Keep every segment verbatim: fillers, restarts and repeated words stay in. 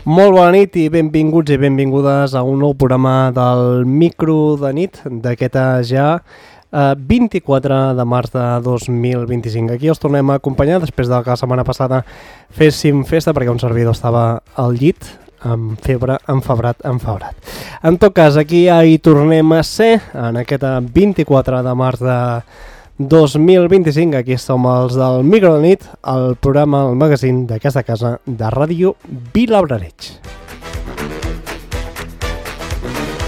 Molt bona nit i benvinguts i benvingudes a un nou programa del Micro de nit d'aquest ja eh, vint-i-quatre de març de dos mil vint-i-cinc. Aquí els tornem a acompanyar després de que la setmana passada féssim festa perquè un servidor estava al llit amb febre, enfebrat, enfebrat. En tot cas, aquí ja hi tornem a ser en aquest vint-i-quatre de març de dos mil vint-i-cinc. Aquí som els del Micro de nit, el programa, el magazín d'aquesta casa de ràdio Vilablareix.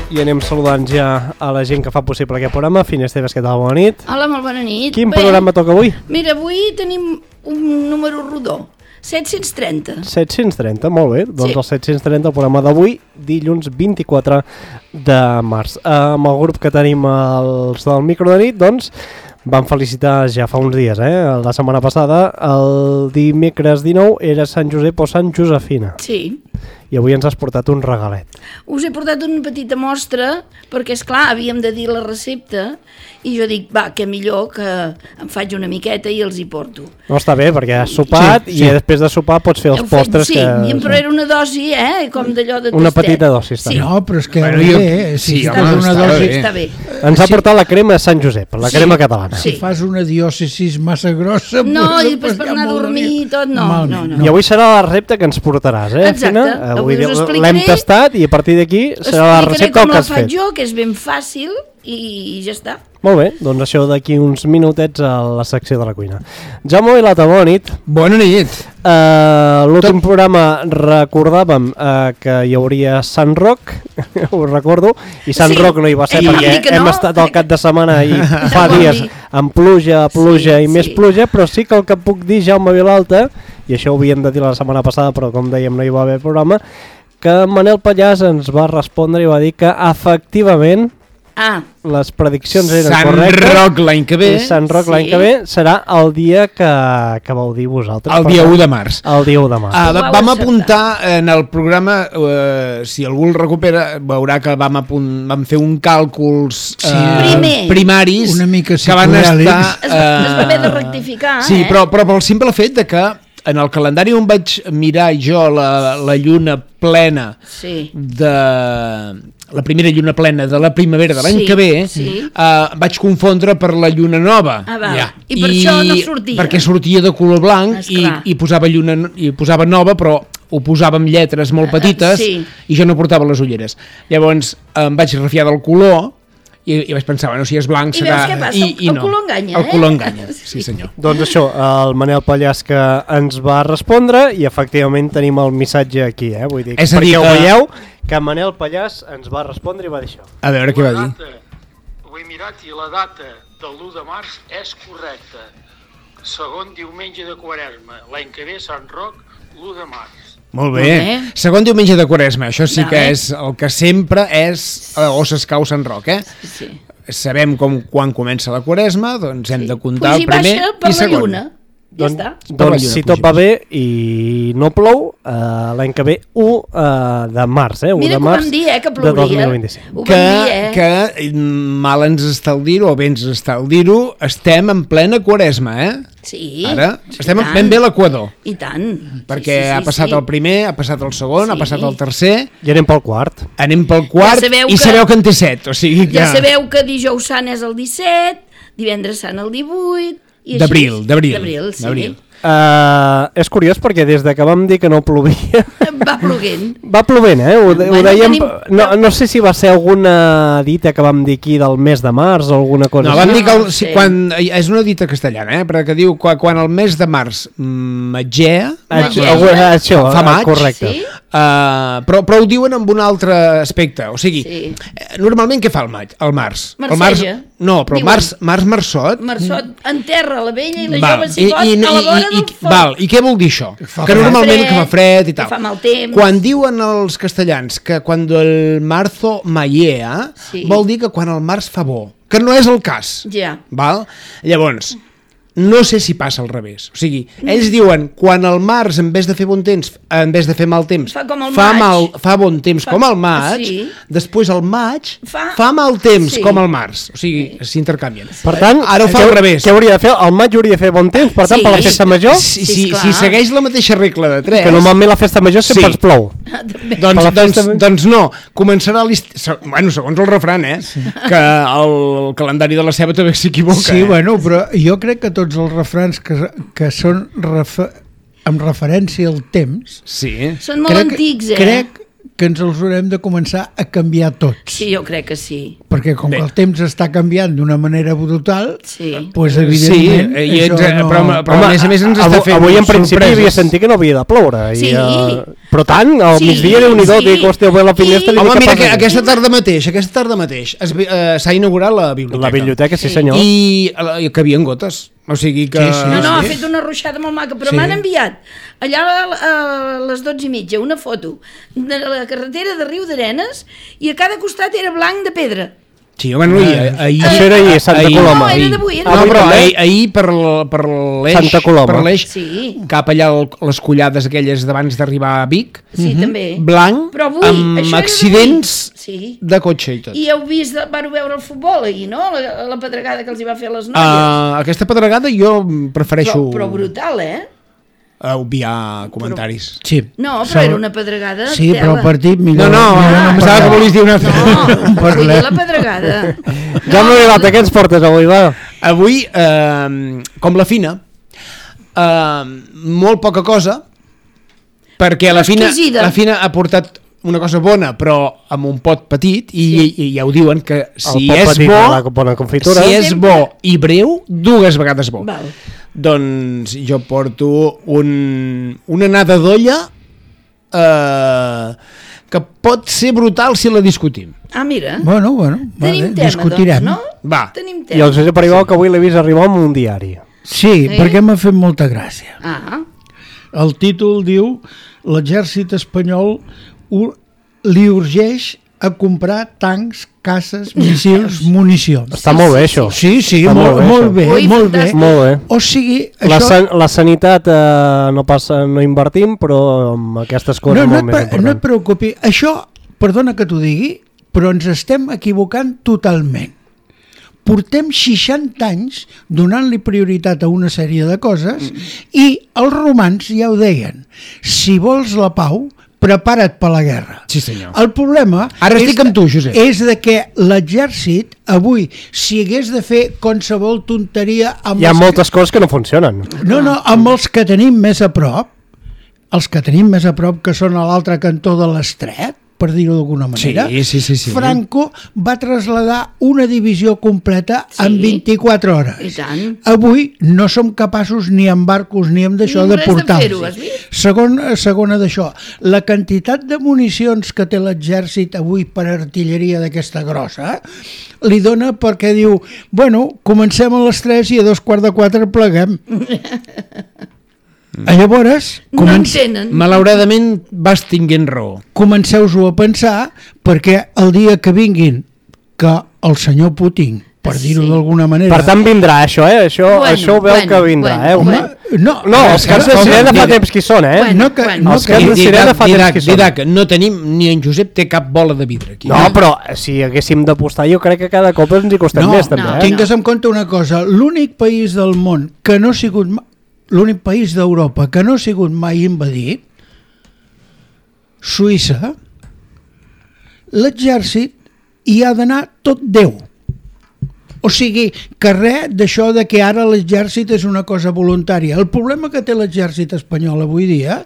I anem saludant ja a la gent que fa possible aquest programa. Finesteves, què tal? Bona nit. Hola, molt bona nit. Quin Bé, programa toca avui? Mira, avui tenim un número rodó, set-cents trenta. set-cents trenta, molt bé. Doncs sí. El set-cents trenta, el programa d'avui, dilluns vint-i-quatre de març. Amb el grup que tenim els del Micro de nit, doncs, vam felicitar ja fa uns dies, eh? La setmana passada, el dimecres dinou, era Sant Josep o Sant Josefina. Sí. I avui ens has portat un regalet. Us he portat una petita mostra, perquè, és clar, havíem de dir la recepta, i jo dic, va, que millor que em faig una miqueta i els hi porto. No, està bé, perquè has sopat sí, sí. I després de sopar pots fer els Heu postres fet, sí, que... Sí, però era una dosi, eh? Com d'allò de tastet. Una petita dosi, està sí. bé. No, però és que bueno, jo... bé, si sí, fas home, una està dosi... Està bé. Ens ha sí. portat la crema de Sant Josep, la sí. crema catalana. Sí. Si fas una diòcesis massa grossa... No, pues, i després per anar a dormir i tot, no, no, no. I avui serà la recepta que ens portaràs, eh, Exacte. Fina? Avui us explicaré... L'hem tastat i a partir d'aquí serà la recepta que has fet. com la faig jo, que és ben fàcil i ja està. Molt bé, doncs això d'aquí uns minutets a la secció de la cuina. Jaume Vilata, bona nit. Bona nit. Uh, L'últim Tot... programa recordàvem uh, que hi hauria Sant Roc, ho recordo, i Sant sí. Roc no hi va ser I perquè no. hem estat al cap de setmana i fa dies amb pluja, pluja sí, i més sí. pluja, però sí que el que puc dir, Jaume Vilalta, i això ho havíem de dir la setmana passada, però com dèiem no hi va haver programa, que Manel Pallàs ens va respondre i va dir que efectivament Ah. les prediccions eren Sant correctes. Sant Roc l'any que ve. Sant Roc sí. l'any que ve serà el dia que, que vau dir vosaltres. El dia u de març. El dia u de març. Uh, vam apuntar en el programa, uh, si algú el recupera, veurà que vam, apunt, vam fer un càlculs uh, sí. primaris una mica que van estar... Uh, es, es va haver de rectificar, sí, eh? però, però pel simple fet de que en el calendari on vaig mirar jo la, la lluna plena sí. de... la primera lluna plena de la primavera de l'any sí, que ve, sí. uh, vaig confondre per la lluna nova. Ah, va. Ja. I per I, això no sortia. Perquè sortia de color blanc i, i, posava lluna, i posava nova, però ho posava amb lletres molt petites uh, sí. i jo no portava les ulleres. Llavors em vaig refiar del color i, i vaig pensar, bueno, si és blanc I serà... I veus què passa? El, I, el no. color enganya, el eh? El color enganya, sí senyor. Doncs això, el Manel Pallàs que ens va respondre i efectivament tenim el missatge aquí, eh? Vull dir, és a dir perquè que... ho veieu, que Manel Pallàs ens va respondre i va dir això. A veure què va dir. Data, ho he mirat i la data de l'u de març és correcta. Segon diumenge de Quaresma, l'any que ve Sant Roc, l'u de març. Molt bé. bé. Segon diumenge de Quaresma, això sí que bé. és el que sempre és o s'escau Sant Roc, eh? Sí. Sabem com quan comença la Quaresma, doncs hem sí. de comptar Pugi el primer baixa per i segon. La lluna. Ja Don, està. Doncs si tot va bé i no plou, uh, l'any que ve u uh, de març, eh? u Mira de que març ho vam dir, eh, que de plouria. dos mil vint-i-cinc. Ho que, vam dir, eh? que mal ens està el dir-ho, o bé ens està el dir-ho, estem en plena Quaresma, eh? Sí. Ara estem tant. ben bé a l'equador. I tant. Perquè sí, sí, sí, ha passat sí. el primer, ha passat el segon, Sí. ha passat el tercer... I anem pel quart. Anem pel quart Ja i que... sabeu que en té set, o sigui que... Ja sabeu que dijous sant és el disset, divendres sant el divuit... D'abril, d'abril. D'abril, sí. Uh, és curiós perquè des de que vam dir que no plovia va plovent va plovent, eh? Ho, bueno, ho dèiem, tenim... no, no sé si va ser alguna dita que vam dir aquí del mes de març o alguna cosa no, així. vam dir que el, No, si, sí. quan, és una dita castellana, eh? Perquè diu quan, quan el mes de març magea, Magea. Això, això, fa maig, correcte. Sí? Uh, però, però ho diuen amb un altre aspecte, o sigui, Sí. normalment què fa el maig? El març. El març Marceja. no, però el Diuen. març, març marçot. Marçot enterra la vella i la Val, jove s'hi pot i, i, a la vora i, del i, foc. val, I què vol dir això? fa Que fred. normalment que fa fred i que tal. fa mal temps. Quan diuen els castellans que quan el marzo maiea, Sí. vol dir que quan el març fa bo, que no és el cas. Ja. Val? Llavors, no sé si passa al revés. O sigui, ells diuen quan el març, en vez de fer bon temps, en vez de fer mal temps, Fa com el fa, maig. mal, fa bon temps Fa- com el maig, sí. després el maig Fa- fa, mal temps sí. com el març. O sigui, s'intercanvien. Per tant, ara ho fa què- al revés. Què hauria de fer? El maig hauria de fer bon temps, per tant, Sí. per la festa major, Si, Sí, si, esclar. si segueix la mateixa regla de tres... que normalment la festa major sempre Sí. ens plou. Ah, doncs, doncs, doncs no, començarà l'estiu, bueno, segons el refran, eh? Sí. Que el calendari de la ceba també s'equivoca. Sí, eh? bueno, però jo crec que tots els refrans que, que són refer, amb referència al temps... Sí. Són molt crec, antics, eh? Crec que ens els haurem de començar a canviar tots. Sí, jo crec que sí. Perquè com Bé. que el temps està canviant d'una manera brutal, sí. pues evidentment... Sí, i això ens, no... però, però Home, a més a més ens està fent avui en principi sorpreses. havia sentit que no havia de ploure. Sí. I, uh, però tant, al sí, migdia Déu-n'hi-do, sí. dic, hòstia, a la finestra... Home, mira, que aquesta tarda mateix, aquesta tarda mateix uh, s'ha inaugurat la biblioteca. La biblioteca, sí senyor. I, i que havien gotes. O sigui que... Sí, sí, No, no, sí. ha fet una ruixada molt maca, però Sí. m'han enviat allà a, a les dotze i mitja una foto de la carretera de Riu d'Arenes i a cada costat era blanc de pedra. Sí, bueno, ahir... ahir Això era ahir, Santa ahir, Coloma. No, era d'avui, era No, d'avui. però també? ahir, ahir per, l- per l'eix... Santa Coloma. Per l'eix, Sí. cap allà al- les collades aquelles d'abans d'arribar a Vic, Sí, també. blanc, Però avui, amb això era accidents d'avui. Sí. de cotxe i tot. I heu vist, vau veure el futbol ahir, no? La, la pedregada que els hi va fer a les noies. Uh, aquesta pedregada jo prefereixo però, però brutal, eh? uh, obviar comentaris. Sí. No, però era una pedregada Sí, tela. però el partit millor... No, no, millor em no pensava que parlar. volies dir una altra. No, Parlem. vull dir la pedregada. Ja m'ha arribat, què ens portes avui, va? Avui, eh, com la Fina, eh, molt poca cosa, perquè la Fina, Exquisida. la Fina ha portat una cosa bona, però amb un pot petit, i, Sí. i, i ja ho diuen, que si pot és petit, bo, la bona confitura. si és bo i breu, dues vegades bo. Val. Doncs jo porto un, una anada d'olla eh, que pot ser brutal si la discutim. Ah, mira. Bueno, bueno, Tenim vale, tema, discutirem. doncs, no? Va. Tenim I tema. els he arribat que avui l'he vist arribar amb un diari. Sí, Sí? perquè m'ha fet molta gràcia. Ah, El títol diu l'exèrcit espanyol u- li urgeix a comprar tancs, caces, missils, municions. Està molt bé, això. Sí, sí, Està molt, molt això. bé, Ui, molt bé. fantàstic. Molt bé. O sigui, La, això... san la sanitat eh, no passa, no invertim, però amb aquestes coses No, no, molt et, més pre- no et important. preocupi. Això, perdona que t'ho digui, però ens estem equivocant totalment. Portem seixanta anys donant-li prioritat a una sèrie de coses i els romans ja ho deien. Si vols la pau, prepara't per la guerra. Sí, senyor. El problema Ara és, estic amb tu, Josep. és de que l'exèrcit avui, si hagués de fer qualsevol tonteria amb Hi ha els moltes coses que no funcionen. no, no, amb els que tenim més a prop, els que tenim més a prop, que són a l'altre cantó de l'estret, per dir-ho d'alguna manera, Sí, sí, sí, sí. Franco va traslladar una divisió completa Sí. en vint-i-quatre hores. I tant. Avui no som capaços ni amb barcos ni amb d'això Ni de res de portar-los. fer-ho, has vist? Segon, segona d'això, la quantitat de municions que té l'exèrcit avui per artilleria d'aquesta grossa li dona perquè diu, bueno, comencem a les tres i a dos quarts de quatre pleguem. Llavors, No comenc entenen. Malauradament vas tinguent raó. comenceu-ho a pensar perquè el dia que vinguin que el senyor Putin, per dir-ho Sí. d'alguna manera... Per tant, vindrà això, eh? Això, Bueno, això ho veu bueno, que vindrà, bueno, eh? bueno. no, No, els caps de home, sirena fa mira, temps que hi són, eh? Bueno, no que, bueno. no Els que, caps de sirena fa temps Didac, que hi són. Didac, no tenim, ni en Josep té cap bola de vidre aquí. No, però si haguéssim d'apostar, jo crec que cada cop ens hi costem no, més, també, no, eh? tingues en compte una cosa, l'únic país del món que no ha sigut ma- l'únic país d'Europa que no ha sigut mai invadit, Suïssa, l'exèrcit hi ha d'anar tot Déu. O sigui, que res d'això de que ara l'exèrcit és una cosa voluntària. El problema que té l'exèrcit espanyol avui dia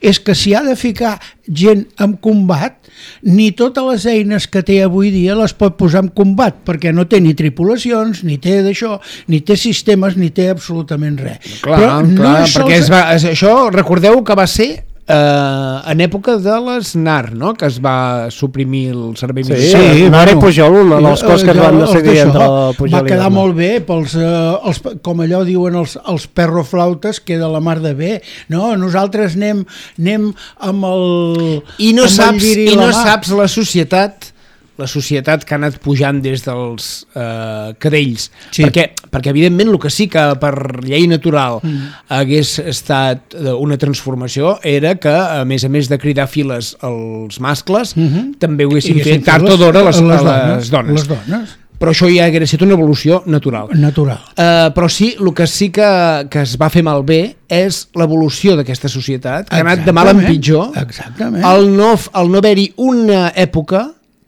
és que si ha de ficar gent en combat, ni totes les eines que té avui dia les pot posar en combat, perquè no té ni tripulacions, ni té d'això, ni té sistemes, ni té absolutament res. Clar, Però no clar, és perquè sols- es va, es, això, recordeu que va ser eh, en època de l'Snar, no?, que es va suprimir el servei Sí, militar. sí, Mare bueno, Pujol, una de les coses que es van els decidir d'això entre Pujol va i quedar Gamma. molt bé pels, eh, els, com allò diuen els, els perroflautes, queda la mar de bé. No, nosaltres anem, anem amb el I no amb el saps, lliri i a la no mà. saps la societat la societat que ha anat pujant des dels eh, cadells, Sí. perquè, perquè evidentment el que sí que per llei natural mm. hagués estat eh, una transformació era que a més a més de cridar files als mascles, Mhm. també ho haguessin I fet tard o d'hora a les, a les dones. Les dones. però això ja hauria estat una evolució natural. Natural. Uh, però sí, el que sí que, que es va fer malbé és l'evolució d'aquesta societat, que ha anat de mal en pitjor. Exactament. El no, el no haver-hi una època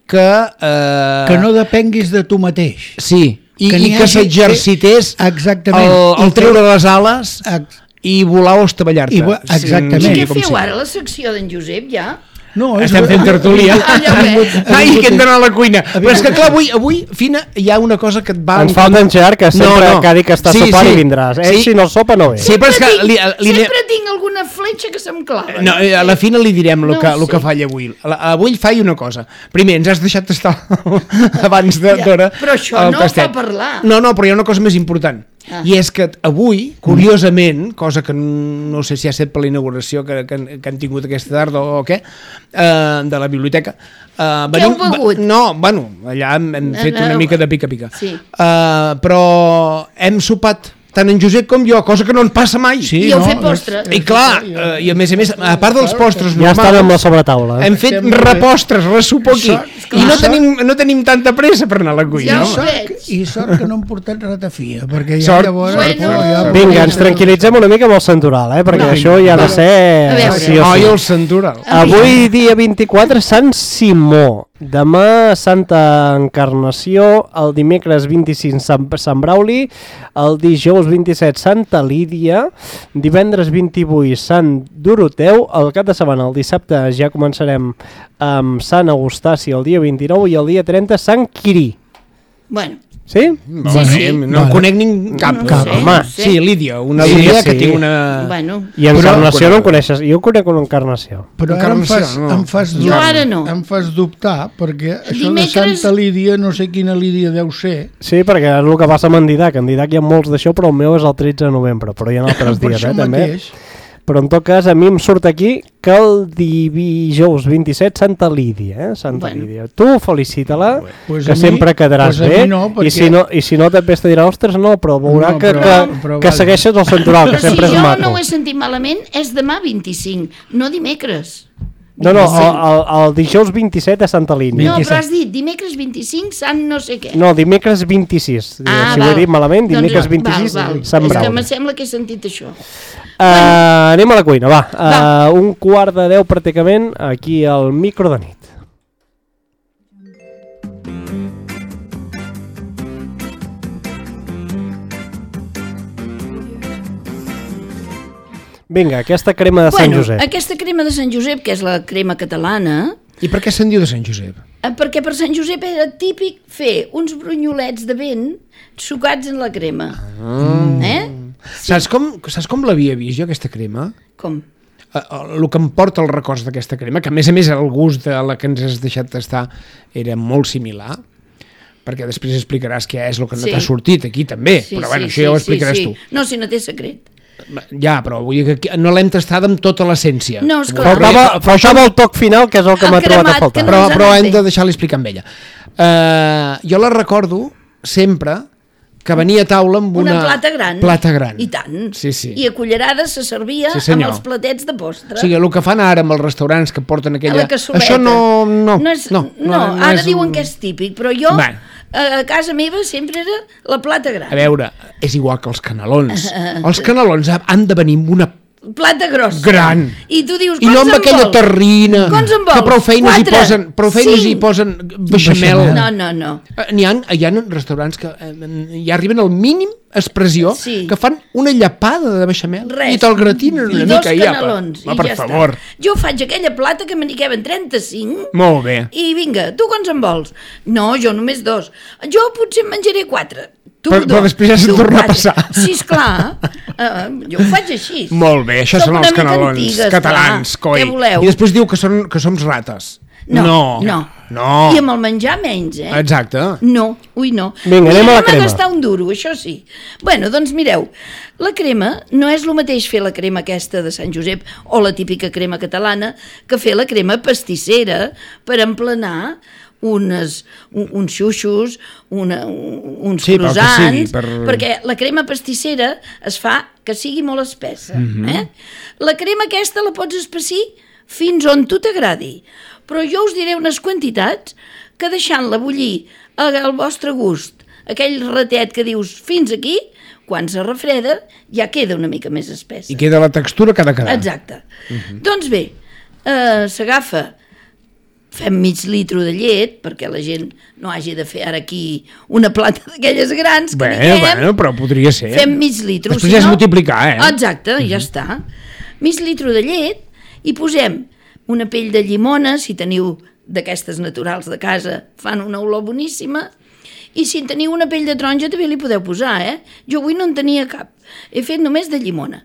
que... Uh, que no depenguis de tu mateix. Sí, i que, i que s'exercités el, el treure les ales i volar o estavellar-te. Exactament. I què feu ara, la secció d'en Josep, ja? No, estem fent tertúlia. Ai, que hem d'anar a la cuina. Però és que clar, avui, avui Fina, hi ha una cosa que et va... Ens falta en Gerard, que sempre no, no. que ha dit que està sí, sopant sí. i vindràs. Ell, sí. si no sopa, no ve. Sí, sempre, és que tinc, li, li, sempre tinc alguna fletxa que se'm clava. No, a la Fina li direm el no que, que falla avui. Avui faig una cosa. Primer, ens has deixat estar abans d'hora. Ja, però això no fa parlar. No, no, però hi ha una cosa més important. Ah. I és que avui, curiosament, cosa que no sé si ha estat per la inauguració que, que, que han tingut aquesta tarda o què, eh, de la biblioteca. Eh, Què heu begut? No, bueno, allà hem, hem fet una mica de pica-pica. Sí. Eh, però hem sopat tant en Josep com jo, cosa que no en passa mai. Sí, I heu no, fet postres. I clar, eh, i a més a més, a part dels postres ja normals, estan amb la sobretaula. Hem fet repostres, ressupo aquí. I no tenim, no tenim tanta pressa per anar a la cuina. Ja sort, I sort que no hem portat ratafia, perquè ja sort. llavors... Bueno. Ja... Vinga, ens tranquil·litzem una mica amb el Santoral, eh? perquè no, això ja ha de ser... Sí o sí. El Santoral. Avui, dia vint-i-quatre, Sant Simó. Demà, Santa Encarnació. El dimecres vint-i-cinc, Sant, Sant Brauli. El dijous vint-i-set, Santa Lídia. Divendres vint-i-vuit, Sant Doroteu. El cap de setmana, el dissabte, ja començarem amb Sant Eustaci el dia vint-i-nou i el dia trenta, Sant Quirí. Bueno. Sí? No, sí, sí. No, no conec ningú cap. No, cap. No sé, Home, no sé. Sí, Lídia, una sí, Lídia sí. que té una... Bueno. I Encarnació però, no en coneixes. Jo conec una Encarnació. Però ara em fas, no. em fas dubtar. Jo ara no. Em fas dubtar, perquè això Dimecres... de Santa Lídia, no sé quina Lídia deu ser. Sí, perquè és el que passa amb en Didac. En Didac hi ha molts d'això, però el meu és el tretze de novembre. Però hi ha altres dies, eh, també. Mateix. Però en tot cas, a mi em surt aquí que el dijous vint-i-set, Santa Lídia, eh? Santa bueno. Lídia. Tu felicita-la, pues que mi, sempre quedaràs pues bé, no, perquè... i, si no, i si no també te dirà, ostres, no, però veurà no, que, però, que, però, que segueixes el Santoral, que sempre si és maco. Jo no ho he sentit malament, és demà vint-i-cinc, no dimecres. No, no, el, el, el dijous vint-i-set a Santa Línia. No, però has dit dimecres vint-i-cinc, Sant no sé què. No, dimecres vint-i-sis. Ah, si val. Ho he dit malament, dimecres doncs, vint-i-sis, val, val. Sant Brau. És que me sembla que he sentit això. Uh, bueno. Anem a la cuina, va. va. Uh, un quart de deu pràcticament, aquí al micro de nit. Vinga, aquesta crema de bueno, Sant Josep. Aquesta crema de Sant Josep, que és la crema catalana... I per què se'n diu de Sant Josep? Perquè per Sant Josep era típic fer uns brunyolets de vent sucats en la crema. Mm. Eh? Sí. Saps com, saps com l'havia vist jo, aquesta crema? Com? El que em porta els records d'aquesta crema, que a més a més el gust de la que ens has deixat tastar era molt similar, perquè després explicaràs què és el que no sí. t'ha sortit aquí també, sí, però bueno, sí, això ja ho explicaràs sí, sí. tu. No, si no té secret. Ja, però vull dir que no l'hem tastat amb tota l'essència. No, esclar. Faltava, faltava el toc final, que és el que m'ha trobat a faltar. No però però hem de deixar-li explicar amb ella. Uh, jo la recordo sempre que venia a taula amb una... Una plata gran. Plata gran. I tant. Sí, sí. I a cullerades se servia sí, amb els platets de postre. O sigui, el que fan ara amb els restaurants que porten aquella... A la cassoleta. Això no... No, no, és, no, no, no, no ara diuen un... que és típic, però jo... Bueno. A casa meva sempre era la plata gran. A veure, és igual que els canelons. Els canelons han de venir amb una plata grossa. Gran. I tu dius, I no amb aquella terrina que prou feines hi posen, prou feines hi posen beixamel. No, no, no. N'hi ha, hi ha restaurants que eh, ja arriben al mínim expressió, sí. que fan una llapada de beixamel. Res. I te'l gratinen una I mica. I dos canelons. Ja, i per ja favor. Està. Jo faig aquella plata que me n'hi queben trenta-cinc. Molt bé. I vinga, tu quants en vols? No, jo només dos. Jo potser en menjaré quatre. Tu però, però després ja se'n torna a passar. Sí, esclar. Uh, jo ho faig així. Molt bé, això Som són els canelons antigues, catalans, clar. coi. Què voleu? I després diu que, són, que som rates. No, no, no. no. I amb el menjar menys, eh? Exacte. No, ui no. Vinga, anem a la crema. Anem a gastar un duro, això sí. Bueno, doncs mireu, la crema no és el mateix fer la crema aquesta de Sant Josep o la típica crema catalana que fer la crema pastissera per emplenar unes, un, uns xuxos, una, uns sí, croissants, sigui, per... perquè la crema pastissera es fa que sigui molt espessa. Mm-hmm. eh? La crema aquesta la pots espessir fins on tu t'agradi, però jo us diré unes quantitats que deixant-la bullir al vostre gust, aquell ratet que dius fins aquí, quan se refreda ja queda una mica més espessa. I queda la textura que ha de quedar. Exacte. Uh-huh. Doncs bé, eh, s'agafa, fem mig litro de llet, perquè la gent no hagi de fer ara aquí una plata d'aquelles grans que bé, diguem. Bueno, però podria ser. Fem mig litro. Després ja és multiplicar, eh? Exacte, uh-huh. Ja està. Mig litro de llet i posem una pell de llimona, si teniu d'aquestes naturals de casa, fan una olor boníssima, i si teniu una pell de taronja també li podeu posar, eh? Jo avui no en tenia cap. He fet només de llimona.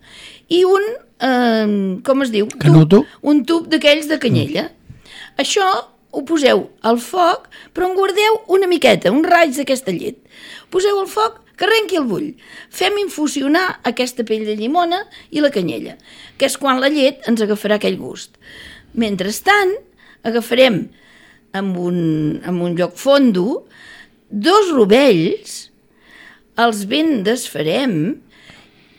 I un, eh, com es diu? Canuto? Tub, un tub d'aquells de canyella. Mm. Això ho poseu al foc, però en guardeu una miqueta, un raig d'aquesta llet. Poseu al foc, que arrenqui el bull. Fem infusionar aquesta pell de llimona i la canyella, que és quan la llet ens agafarà aquell gust. Mentrestant, agafarem amb un, amb un lloc fondo dos rovells, els ben desfarem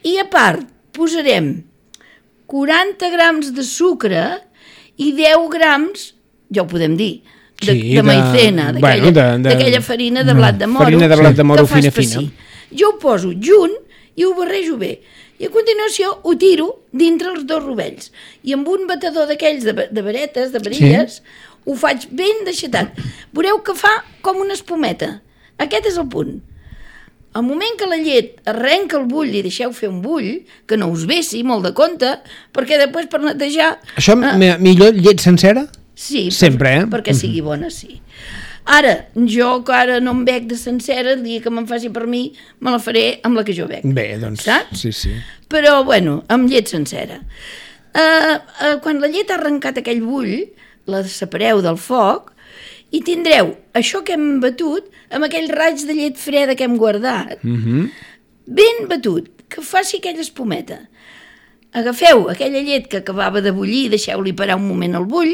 i a part posarem quaranta grams de sucre i deu grams, ja ho podem dir, de, sí, de maicena, d'aquella bueno, farina de blat de moro, farina de blat de moro que fa fina, espessir. fina. Jo ho poso junt i ho barrejo bé. I a continuació ho tiro dintre els dos rovells. I amb un batedor d'aquells de, de varetes, de varilles, sí. Ho faig ben deixatat. Veureu que fa com una espumeta. Aquest és el punt. Al moment que la llet arrenca el bull i deixeu fer un bull, que no us vessi molt de compte, perquè després per netejar... Això eh, millor llet sencera? Sí, sempre, per, eh? perquè sigui bona, sí. Ara, jo que ara no em bec de sencera, el dia que me'n faci per mi, me la faré amb la que jo bec. Bé, doncs, saps? Sí, sí. Però, bueno, amb llet sencera. Uh, uh, quan la llet ha arrencat aquell bull, la separeu del foc i tindreu això que hem batut amb aquell raig de llet freda que hem guardat, mm-hmm. ben batut, que faci aquella espumeta. Agafeu aquella llet que acabava de bullir, deixeu-li parar un moment al bull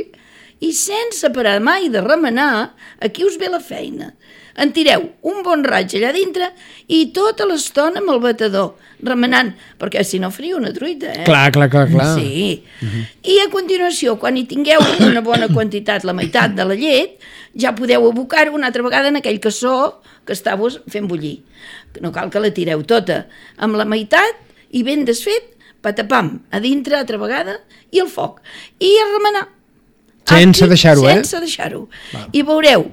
i sense parar mai de remenar, aquí us ve la feina. En tireu un bon raig allà dintre i tota l'estona amb el batedor, remenant, perquè si no faria una truita, eh? Clar, clar, clar, clar. Sí. Uh-huh. I a continuació, quan hi tingueu una bona quantitat, la meitat de la llet, ja podeu abocar-ho una altra vegada en aquell cassó que estàveu fent bullir. No cal que la tireu tota. Amb la meitat i ben desfet, patapam, a dintre altra vegada i el foc. I a remenar. Sense Aquí, deixar-ho, eh? Sense deixar-ho. I veureu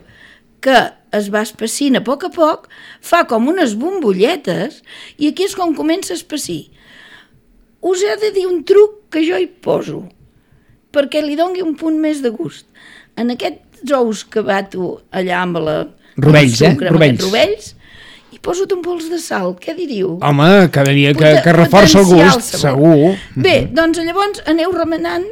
que es va espessint a poc a poc, fa com unes bombolletes i aquí és com comença a espessir. Us he de dir un truc que jo hi poso perquè li doni un punt més de gust. En aquests ous que bato allà amb la... Rovells, sucre, eh? Rovells. rovells hi poso un pols de sal, què diríeu? Home, quedaria que, que reforça el gust, el segur. Bé, doncs llavors aneu remenant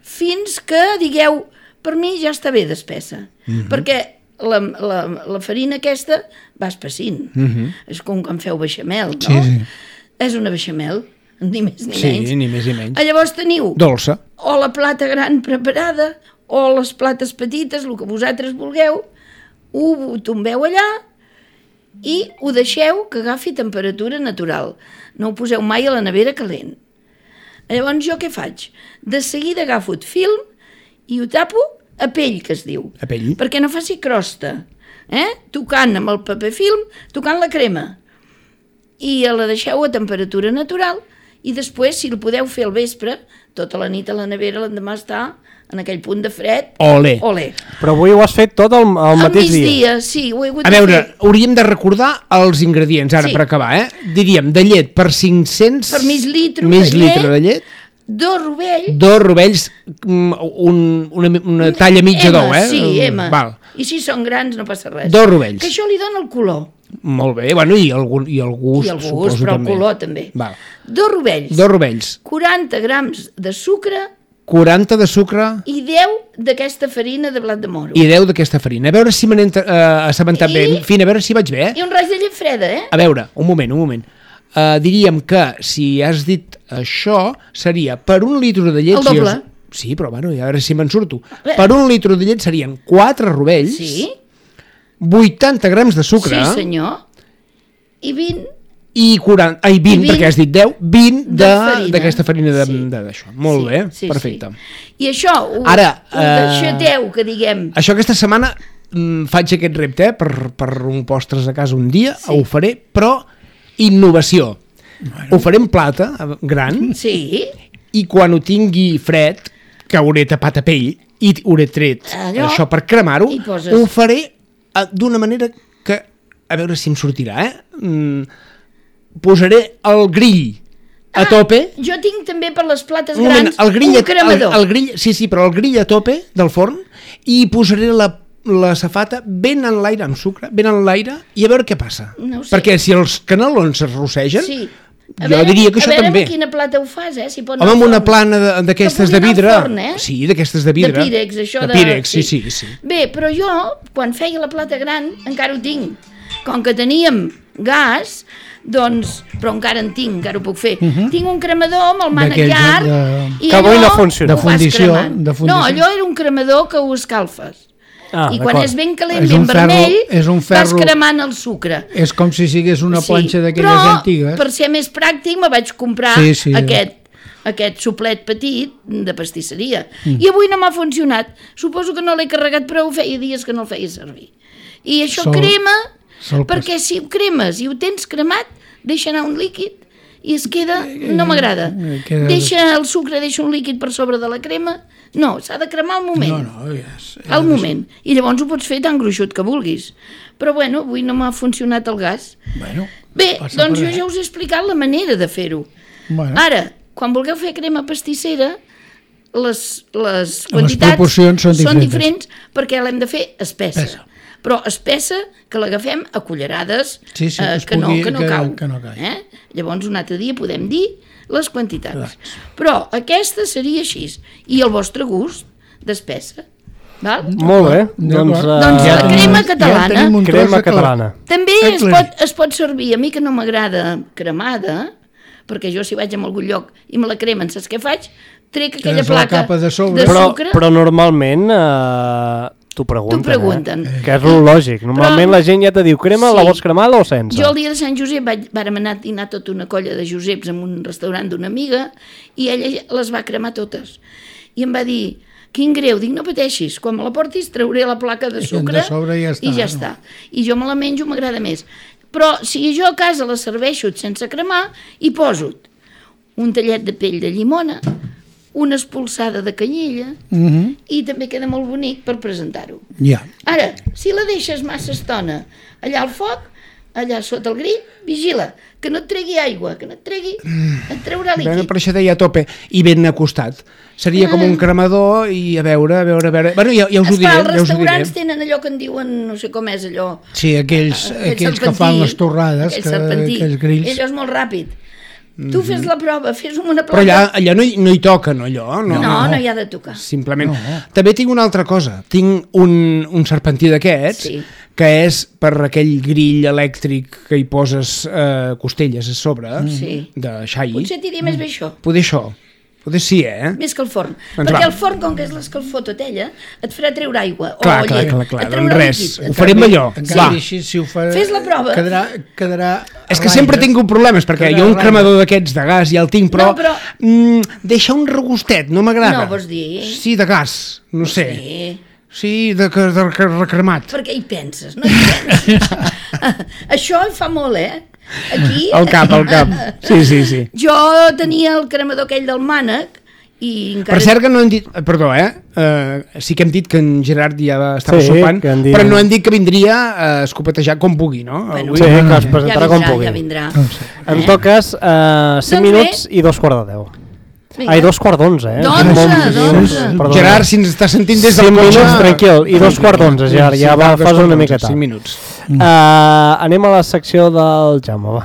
fins que digueu, per mi ja està bé d'espessa, mm-hmm. perquè La, la, la farina aquesta va espessint. Uh-huh. És com quan feu beixamel, no? Sí, sí. És una beixamel, ni més ni sí, menys. Sí, ni més ni menys. Llavors teniu dolça. O la plata gran preparada, o les plates petites, el que vosaltres vulgueu, ho tombeu allà i ho deixeu que agafi temperatura natural. No ho poseu mai a la nevera calent. Llavors jo què faig? De seguida agafo el film i ho tapo a pell, que es diu. A pell. Perquè no faci crosta. Eh? Tocant amb el paper film, tocant la crema. I la deixeu a temperatura natural i després, si el podeu fer al vespre, tota la nit a la nevera, l'endemà està en aquell punt de fred. Olé. Olé. Però avui ho has fet tot el, el mateix dia. Al migdia, sí. Ho he hagut a veure, fer. Hauríem de recordar els ingredients, ara sí. Per acabar, eh? Diríem, de llet per cinc-cents... Per mig litre mig de llet. litre de llet. Dos rovells. Dos rovells, un, una, una talla mitja d'ou, eh? Sí, M. Val. I si són grans no passa res. Dos rovells. Que això li dona el color. Molt bé, bueno, i el, i el gust, I el gust, però també. El color també. Val. Dos rovells. Dos rovells. quaranta grams de sucre. quaranta de sucre. I deu d'aquesta farina de blat de moro. I deu d'aquesta farina. A veure si me n'he uh, assabentat I... bé. En fi, a veure si vaig bé, eh? I un raig de llet freda, eh? A veure, un moment, un moment. Uh, diríem que si has dit això seria per un litre de llet... El doble. Si sí, però bueno, a veure si me'n surto. Per un litre de llet serien quatre rovells, sí. vuitanta grams de sucre... Sí, senyor. I vint... I, quaranta, ai, vint, I vint, perquè has dit deu, vint d'aquesta farina d'això. Sí. Sí. Molt sí, bé, sí, perfecte. Sí. I això ho, Ara, ho deixateu, uh, que diguem... Això aquesta setmana mm, faig aquest repte eh, per, per un postres a casa un dia, Sí. ho faré, però innovació. Bueno. Ho faré en plata, gran, Sí. i quan ho tingui fred, que hauré tapat a pell i hauré tret Allò, això per cremar-ho, i poses- ho faré eh, d'una manera que, a veure si em sortirà, eh? Mm, posaré el grill a tope. Jo tinc també per les plates Un moment, grans el grill, un el, cremador. el grill, sí, sí, però el grill a tope del forn i posaré la, la safata ben en l'aire, amb sucre, ben en l'aire, i a veure què passa. No ho sé. Perquè si els canelons es rossegen, Sí. A jo veure, diria que a això veure també. amb quina plata ho fas, eh? Si pot Home, anar amb al una forn. plana de- d'aquestes Que de pugui anar vidre. al forn, eh? Sí, d'aquestes de vidre. De Pirex, això de... de... Pirex, sí, sí, sí. Bé, però jo, quan feia la plata gran, encara ho tinc. Com que teníem gas, doncs, però encara en tinc, encara ho puc fer. Uh -huh. Tinc un cremador amb el mànec D'aquells llarg de- i Que avui allò no funciona. ho De vas fundició, cremant. de fundició. No, allò era un cremador que ho escalfes. Ah, I quan d'acord. és ben calent, És ben un ferro- vermell, és un ferro- vas cremant el sucre. És com si sigués una planxa d'aquelles però, antigues. per ser més pràctic, me vaig comprar Sí, sí. aquest, aquest suplet petit de pastisseria. Mm. I avui no m'ha funcionat. Suposo que no l'he carregat prou, feia dies que no el feia servir. I això Sol- crema, sol perquè si ho cremes i ho tens cremat, deixa anar un líquid i es queda... No m'agrada. Eh, queda- Deixa el sucre, deixa un líquid per sobre de la crema. No, s'ha de cremar al moment. No, no, ja és, Al moment. I llavors ho pots fer tan gruixut que vulguis. Però bueno, avui no m'ha funcionat el gas. Bueno, Bé, passa doncs per jo res. ja us he explicat la manera de fer-ho. Bueno. Ara, quan vulgueu fer crema pastissera, les, les quantitats proporcions són són diferents. diferents perquè l'hem de fer espessa. Espessa. Però espessa que l'agafem a cullerades, Sí, sí, eh, es que, no, pugui- que no que- cau. que no caigui. Eh? Llavors un altre dia podem dir les quantitats. Clar. Però aquesta seria així. I el vostre gust d'espessa. Val? Molt bé. D'acord. Doncs, uh, Doncs la tenim- crema ja catalana. tenim un tros crema de clar. catalana. També Eh, es clar. pot, es pot servir, a mi que no m'agrada cremada, perquè jo si vaig a algun lloc i me la cremen, saps què faig? Trec aquella Tens la placa capa de sobre. de Però, sucre. però normalment uh, t'ho pregunten, T'ho pregunten. eh? Que és lo lògic. Normalment Però- la gent ja te diu crema, Sí. la vols cremada o sense? Jo el dia de Sant Josep vaig, vàrem anar a dinar tota una colla de Joseps en un restaurant d'una amiga i ella les va cremar totes. I em va dir, quin greu, dic, no pateixis, quan me la portis trauré la placa de I sucre de sobre ja està, i ja no? està. I jo me la menjo, m'agrada més. Però si jo a casa la serveixo sense cremar, hi poso un tallet de pell de llimona, una espolsada de canyella Mhm. i també queda molt bonic per presentar-ho. Ja. Ara, si la deixes massa estona allà al foc, allà sota el grill, vigila, que no et tregui aigua, que no et tregui, et traurà Bueno, líquid. per això deia a tope i ben acostat. Seria com un cremador i a veure, a veure, a veure... Bueno, ja, ja us ho diré, Esclar, els ja us ho diré. restaurants tenen allò que en diuen, no sé com és allò, Sí, aquells, aquell aquells que serpentí, fan les torrades, aquell que, serpentí. aquells grills. Allò és molt ràpid. Tu fes la prova, fes una Però placa. allà, allà no, hi, no hi toca, no, allò? No, No, no hi ha de tocar. Simplement. No. També tinc una altra cosa. Tinc un, un serpentí d'aquests, Sí. que és per aquell grill elèctric que hi poses eh, costelles a sobre, Sí. de xai. Potser t'hiria més bé això, Poder això. Poder sí, eh? més que el forn. Doncs Perquè va. el forn, com que és l'escalfor tot ella, et farà treure aigua Clar, o clar, llet. clar, clar. Et Doncs traurà res, líquid. ho Et farem traurà- allò. En canvi, Va. així, si ho fa... Fes la prova. Quedarà, quedarà És que ratlles. sempre tinc problemes, perquè Quedarà jo un ratlles. cremador d'aquests de gas ja el tinc, però, No, però- Mm, deixa un regustet, no m'agrada. No, vols dir? Sí, de gas, no sé. Sí. Sí, de, de, de, de recremat. Per què hi penses? No hi penses. Això hi fa molt, eh? Aquí... Al cap, al cap. Sí, sí, sí. Jo tenia el cremador aquell del mànec i encara... Per cert que no hem dit... eh, Perdó, eh? Uh, sí que hem dit que en Gerard ja estava Sí, sopant, que en dia- però no hem dit que vindria a escopetejar com pugui, no? Bueno, Avui- Sí, que es ja presentarà vindrà, com pugui. ja vindrà. No ho sé. En tot cas, uh, cinc Doncs minuts bé. i dos quarts de deu. Vinga. Ai, dos quarts d'onze, eh? D'onze, Molt- d'onze. Perdona. Gerard, si ens està sentint des del Cinc cotxe... minuts, tranquil, i dos quarts d'onze, Gerard, ja va, dos fas quarts una d'onze, mica tard. Cinc minuts. Uh, anem a la secció del Jaume, va.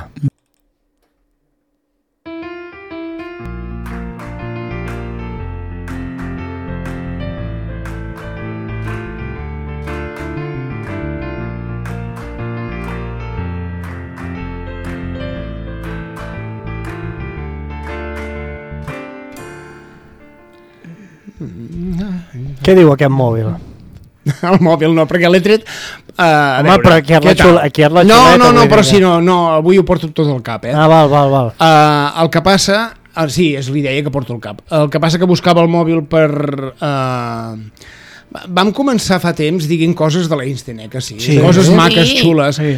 Què diu aquest mòbil? El mòbil no, perquè l'he tret... Uh, a Home, veure, però aquí és la què tal? xula- aquí és la No, xuleta, no, no, vull però dir si que- no, no, avui ho porto tot al cap, eh? Ah, val, val, val. Uh, el que passa... Uh, sí, és l'idea que porto al cap. El que passa que buscava el mòbil per... Uh, Vam començar fa temps diguent coses de l'Einstein, eh, que sí, Sí. coses Sí. maques, xules, Sí.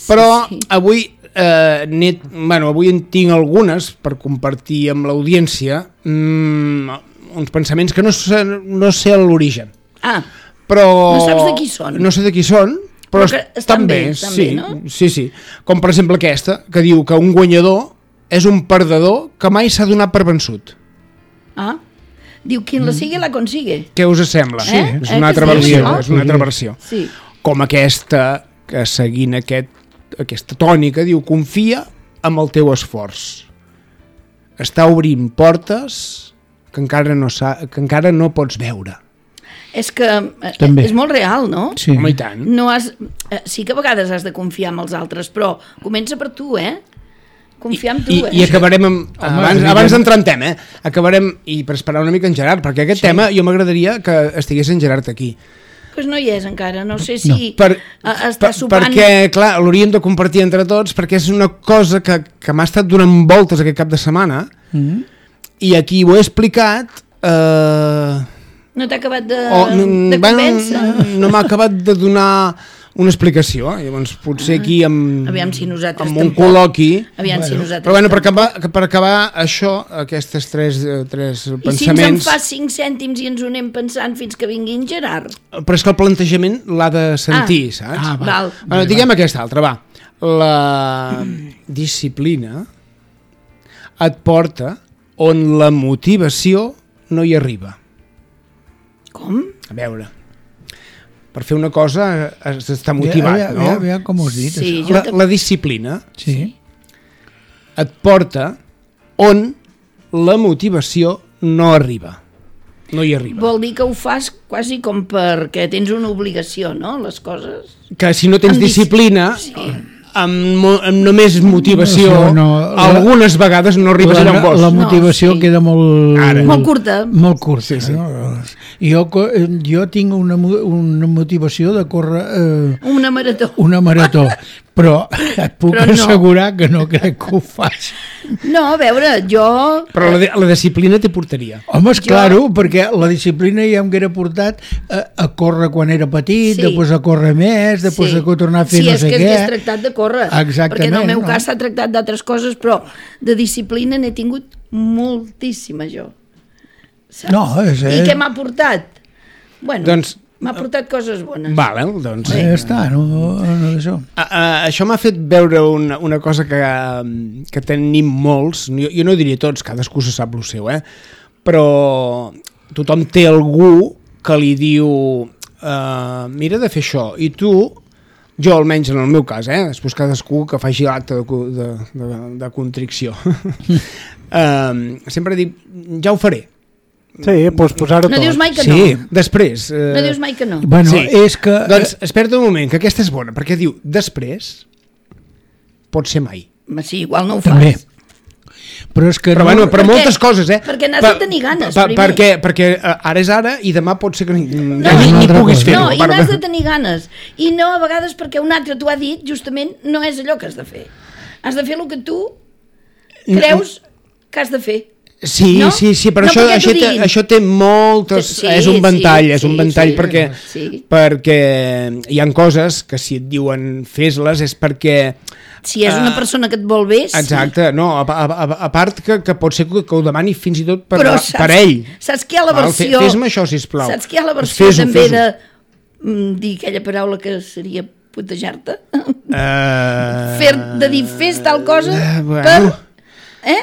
però Sí, sí. avui, eh, net, bueno, avui en tinc algunes per compartir amb l'audiència, mm, uns pensaments que no sé, no sé l'origen. Ah, Però... No saps de qui són? No sé de qui són, però, Però que estan bé, estan sí, bé, no? sí, sí. Com per exemple aquesta, que diu que un guanyador és un perdedor que mai s'ha donat per vençut. ah. Diu, quien la sigue la consigue. Què us sembla? Sí, eh? És Eh, una que altra es diu versió, això? és una altra versió. Sí. Com aquesta, que seguint aquest, aquesta tònica, diu, confia amb el teu esforç. Està obrint portes que encara no, sa, que encara no pots veure. És que eh, També. és molt real, no? Sí. Home, i tant. No has, eh, sí que a vegades has de confiar en els altres, però comença per tu, eh? Confiar en tu, I, eh? i acabarem amb, Home, abans, evident. abans d'entrar en tema, eh? acabarem, i per esperar una mica en Gerard, perquè aquest sí. tema jo m'agradaria que estigués en Gerard aquí. Pues no hi és encara, no sé si Per, no. està per, sopant... perquè, clar, l'hauríem de compartir entre tots, perquè és una cosa que, que m'ha estat donant voltes aquest cap de setmana, Mm. i aquí ho he explicat... Eh, No t'ha acabat de, o, de bueno, convèncer? no m'ha acabat de donar una explicació, llavors potser aquí amb, Aviam si nosaltres amb un tampoc. col·loqui... Aviam si nosaltres Però bueno, per tampoc. acabar, per acabar això, aquestes tres, eh, tres I si ens en pensaments... fa cinc cèntims i ens ho anem pensant fins que vingui en Gerard? Però és que el plantejament l'ha de sentir, Ah. saps? Ah, va. Val. Bueno, diguem aquesta altra, va. La disciplina et porta on la motivació no hi arriba. Com? A veure, per fer una cosa has d'estar motivat, ja, ja, no? Ja, ja, com ho has dit, Sí, això. jo La, tam- la disciplina Sí. et porta on la motivació no arriba. No hi arriba. Vol dir que ho fas quasi com perquè tens una obligació, no?, les coses. Que si no tens Amb dis- disciplina, Sí. amb, mo- amb només motivació, No, no, la- algunes vegades no arribes La, allà on vols. la motivació No, sí. queda molt... Ara. Molt curta. Molt curta. Sí, sí. No? Jo, co- jo tinc una, mo- una motivació de córrer eh, Una marató. una marató, però et puc Però no. assegurar que no crec que ho faci. No, a veure, jo... Però la, de- la disciplina t'hi portaria. Home, és claro, perquè la disciplina ja em haguera portat a, a córrer quan era petit, Sí. després a córrer més, després a tornar a fer sí, no és sé que què. és tractat de córrer. Exactament, Perquè en el meu no? cas s'ha tractat d'altres coses, però de disciplina n'he tingut moltíssima jo. Saps? No, és- I què m'ha portat? Bueno, Doncs- m'ha portat coses bones. Vale, doncs... Ja està, no, no d'això. A, a, això m'ha fet veure una, una cosa que, que tenim molts, jo, jo no diria tots, cadascú se sap el seu, eh? Però tothom té algú que li diu uh, mira de fer això, i tu, jo almenys en el meu cas, eh? Després cadascú que faci l'acte de, co- de, de, de contricció, uh, sempre dic, ja ho faré. Sí, doncs posar-ho No tot. dius mai que Sí, no. després... Uh, No dius mai que no. Bueno, Sí. és que... Doncs espera't un moment, que aquesta és bona, perquè diu, després pot ser mai. Ma, sí, igual no ho També. fas. Però és que... Però, no, bueno, però Perquè- moltes coses, eh? perquè n'has Pa- de tenir ganes, pa- primer. Perquè, perquè eh, ara és ara i demà pot ser que ni, No, ja ni, és una ni altra puguis cosa. fer-ho. No, i Perdó. n'has de tenir ganes. I no a vegades perquè un altre t'ho ha dit, justament no és allò que has de fer. Has de fer el que tu creus que has de fer. Sí, No? sí, sí, però No això, perquè això, t'ho té, diguin. això té moltes... Sí, és un ventall, sí, és un sí, ventall sí, perquè, sí. perquè hi han coses que si et diuen fes-les és perquè... Si és una Ah, persona que et vol bé, sí. Exacte, no, a, a, a, a part que, que pot ser que, que ho demani fins i tot per, Però per ell. Saps que hi ha la Val, fe- versió... Fes-me això, sisplau. Saps que hi ha la Doncs versió fes-ho, també fes-ho. de mm, dir aquella paraula que seria putejar-te? Uh... Fer, de dir fes tal cosa Eh, bueno. per... Eh?